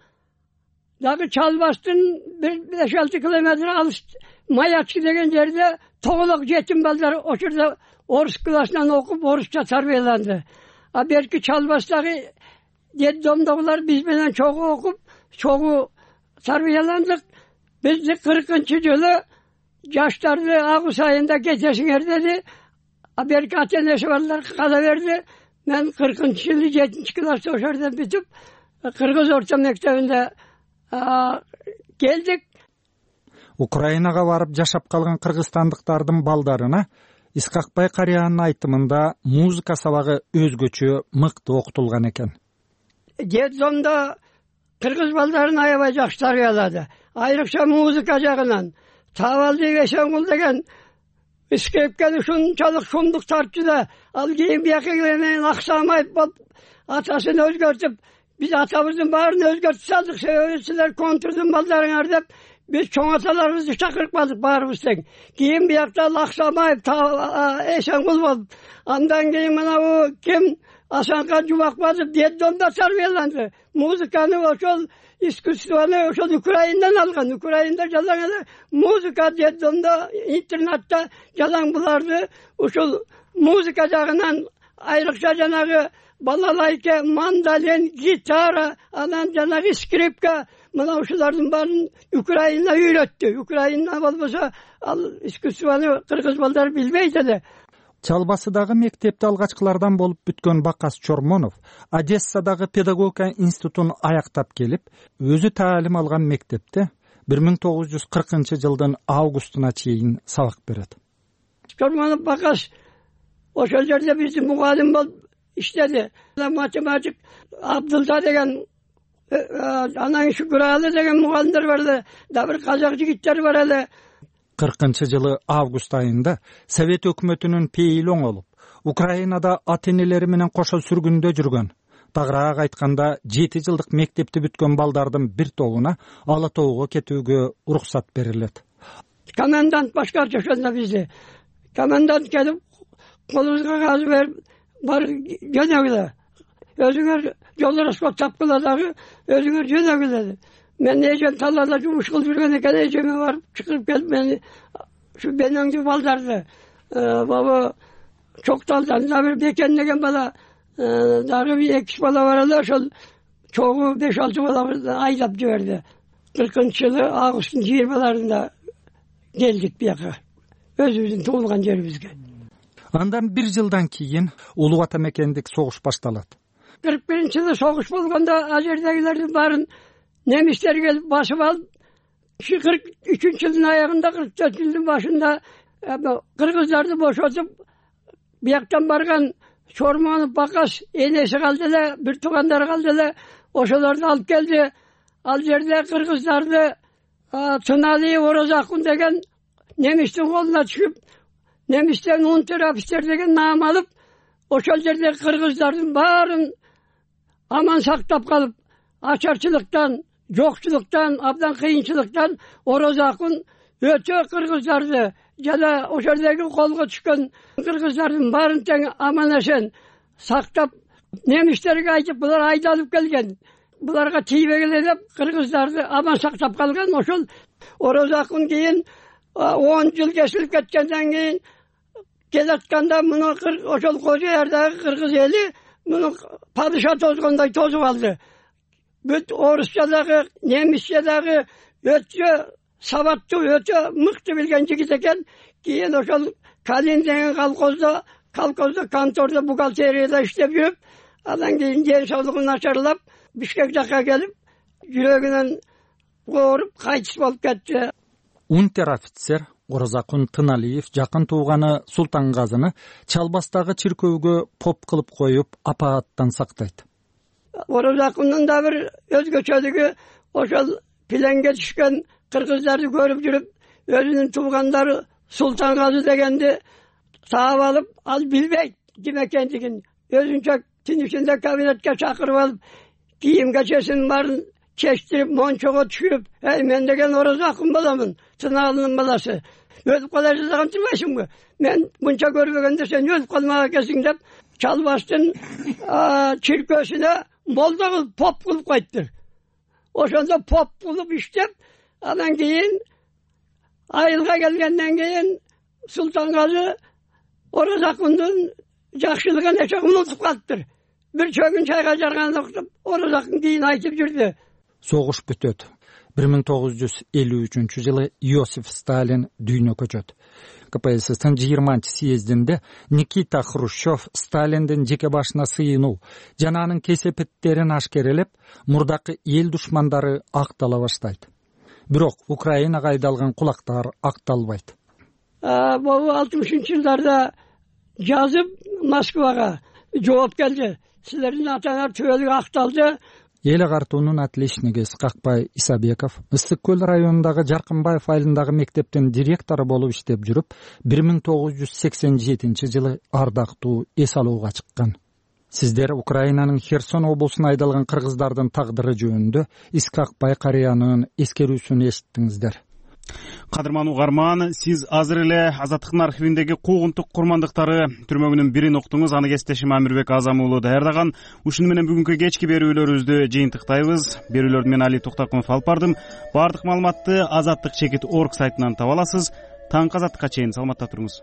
дагы Чалбастын бир беш алты километр алыс Маячки деген жерде тоголок жетим балдар ошол орус классынан окуп, орусча тарбияланды. А берки Чалбастагы детдомдогулар биз менен чогуу окуп, чогуу тарбияландык. Бизди кыркынчы жылы жаштарды август айында кетесиңер деди. А берки ата-энеси барлар кала берди. мен кыркынчы жылы жетинчи класста ошол жерден бүтүп кыргыз орто мектебинде келдик. Украинага барып жашап калган кыргызстандыктардын балдарына Исхакбай карыянын айтымында музыка сабагы өзгөчө мыкты окутулган экен. Детдомдо кыргыз балдарын аябай жакшы тарбиялады. Айрыкча музыка жагынан. Табалдиев Эшенгул деген скрипкени ушунчалык шумдук тартчу да, ал кийин бияка менен аксамайып болуп атасын өзгөртүп, биз атабыздын баарын өзгөртүп салдык. Себеби силер контрдун балдарыңар деп биз чоң аталарыбызды чакырып калдык баарыбыз тең. Кийин биякта Аксамаев, Эшенгул болуп, андан кийин мына бу ким Асанкан Жумакбаев детдомдо тарбияланды. Музыканы ошол искусствону ошол Украинадан алган. Украинада жалаң эле музыка детдомдо, интернатта жалаң буларды ушул музыка жагынан айрыкча жанагы балалайка, мандолин, гитара, анан жанагы скрипка, мына ушулардын баарын Украина үйрөттү. Украина болбосо ал искусствону кыргыз балдары билбейт эле. Чалбасыдагы мектепте алгачкылардан болуп бүткөн Бакас Чормонов Одессадагы педагогика институтун аяктап келип, өзү таалим алган мектепте бир миң тогуз жүз кыркынчы жылдын августуна чейин сабак берет. Чормонов Бакас ошол жерде биздин мугалим болуп иштеди. Математик Абдулда деген, анан Шүкүралы деген мугалимдер бар эле, да бир казак жигиттер бар эле. кыркынчы жылы август айында Совет өкмөтүнүн пейили оңолуп, Украинада ата-энелери менен кошо сүргүндө жүргөн, тагыраак айтканда жети жылдык мектепти бүткөн балдардын бир тобуна Ала тоого кетүүгө уруксат берилет. Комендант башкарчы ошондо бизди. Комендант келип, колубузга кагаз берип, бар жөнөгүлө. Өзүңөр жол расход тапкыла дагы, өзүңөр жөнөгүлө. Мен эжем талаада жумуш кылып жүргөн экен, эжеме барып чыгып келип мени ушу бенеңди балдарды баба Чокталдан да бир Бекен деген бала, дагы бир эки бала бар эле, ошол чогуу беш алты баланы айдап жиберди. кыркынчы жылы августтун жыйырмаларында келдик бияка, өзүбүздүн туулган жерибизге. Андан бир жылдан кийин Улуу Ата мекендик согуш башталат. кырк биринчи жылы согуш болгондо ал жердегилердин баарын немистер келип басып алып, кырк үчүнчү жылдын аягында, кырк төртүнчү жылдын башында кыргыздарды бошотуп, бияктан барган Чормонов Бакас энеси калды эле, бир туугандары калды эле, ошолорду алып келди. Ал жерде кыргыздарды Туналиев Орозакун деген немистин колуна түшүп, немистен унтер офицер деген наам алып, ошол жерде кыргыздардын баарын аман сактап калып, ачарчылыктан, жокчулуктан, абдан кыйынчылыктан Орозакун өтө кыргыздарды жана ошол жердеги колго түшкөн кыргыздардын баарын тең аман эсен сактап, немистерге айтып, булар айдалып келген, буларга тийбегиле деп кыргыздарды аман сактап калган. Ошол Орозакун кийин он жыл кесилип кеткенден кийин келатканда муну ошол Кожо Ярдагы кыргыз эли муну падыша тозгондой тозуп алды. Бүт орусча дагы, немисче дагы өтө сабаттуу, өтө мыкты билген жигит экен. Кийин ошол Калин деген колхоздо, колхоздо, контордо, бухгалтерияда иштеп жүрүп, андан кийин ден соолугу начарлап, Бишкек жакка келип, жүрөгүнөн ооруп, кайтыс болуп кетти. Унтер офицер Орозакун Туналиев жакын тууганы Султангазыны Чалбастагы чиркөөгө поп кылып коюп, апааттан сактайт. Орозакундун да бир өзгөчөлүгү, ошол пленге түшкөн кыргыздарды көрүп жүрүп, өзүнүн туугандары Султангазы дегенди таап алып, ал билбейт ким экендигин. Өзүнчө түн ичинде кабинетке чакырып алып, кийим кечесин баарын чечтирип, мончого түшүрүп, эй, мен деген Орозакун боламын, Туналынын баласы. Өлүп кала жазган турбайсыңбы? Мен мынча көрбөгөндө сен өлүп калмак экенсиң деп, Чалбастын чиркөөсүнө молдо кылып, поп кылып койдур. Ошондо поп кылып иштеп, андан кийин айылга келгенден кийин Султангазы Орозакундун жакшылыгын эче унутуп калыптыр. Бир чөгүн чайга жарганда уктуп, Орозакун кийин айтып жүрдү. Согуш бүтөт. бир миң тогуз жүз элүү үчүнчү жылы Иосиф Сталин дүйнөгө көчөт. ка пэ эс эстин жыйырманчы съездинде Никита Хрущев Сталиндин жеке башына сыйынуу жана анын кесепеттерин ашкерелеп, мурдакы эл душмандары актала баштайт. Бирок Украинага айдалган кулактар акталбайт. Бул алтымышынчы жылдарда жазып Москвага жооп келди. Силердин атаңар түбөлүк акталды. Эл агартуунун отличниги Исқақбай Исабеков Ысык көл районундагы Жаркынбаев айылындагы мектептин директору болуп иштеп жүрүп, бир миң тогуз жүз сексен жетинчи жылы ардактуу эс алууга чыккан. Сиздер Украинанын Херсон облусуна айдалган кыргыздардын тагдыры жөнүндө Исқақбай карыянын эскерүүсүн эшиттиңиздер. Кадырман угарман, сиз азыр эле Азаттыктын архивиндеги куугунтук курмандыктары түрмөгүнүн бирин уктуңуз. Аны кесиптешим Амирбек Азам уулу даярдаган. Ушуну менен бүгүнкү кечки берүүлөрүбүздү жыйынтыктайбыз. Берүүлөрдү мен Али Токтакунов алып бардым. Баардык маалыматты азаттык чекит точка орг сайтынан таба аласыз. Таңкы азаттыкка чейин саламатта туруңуз.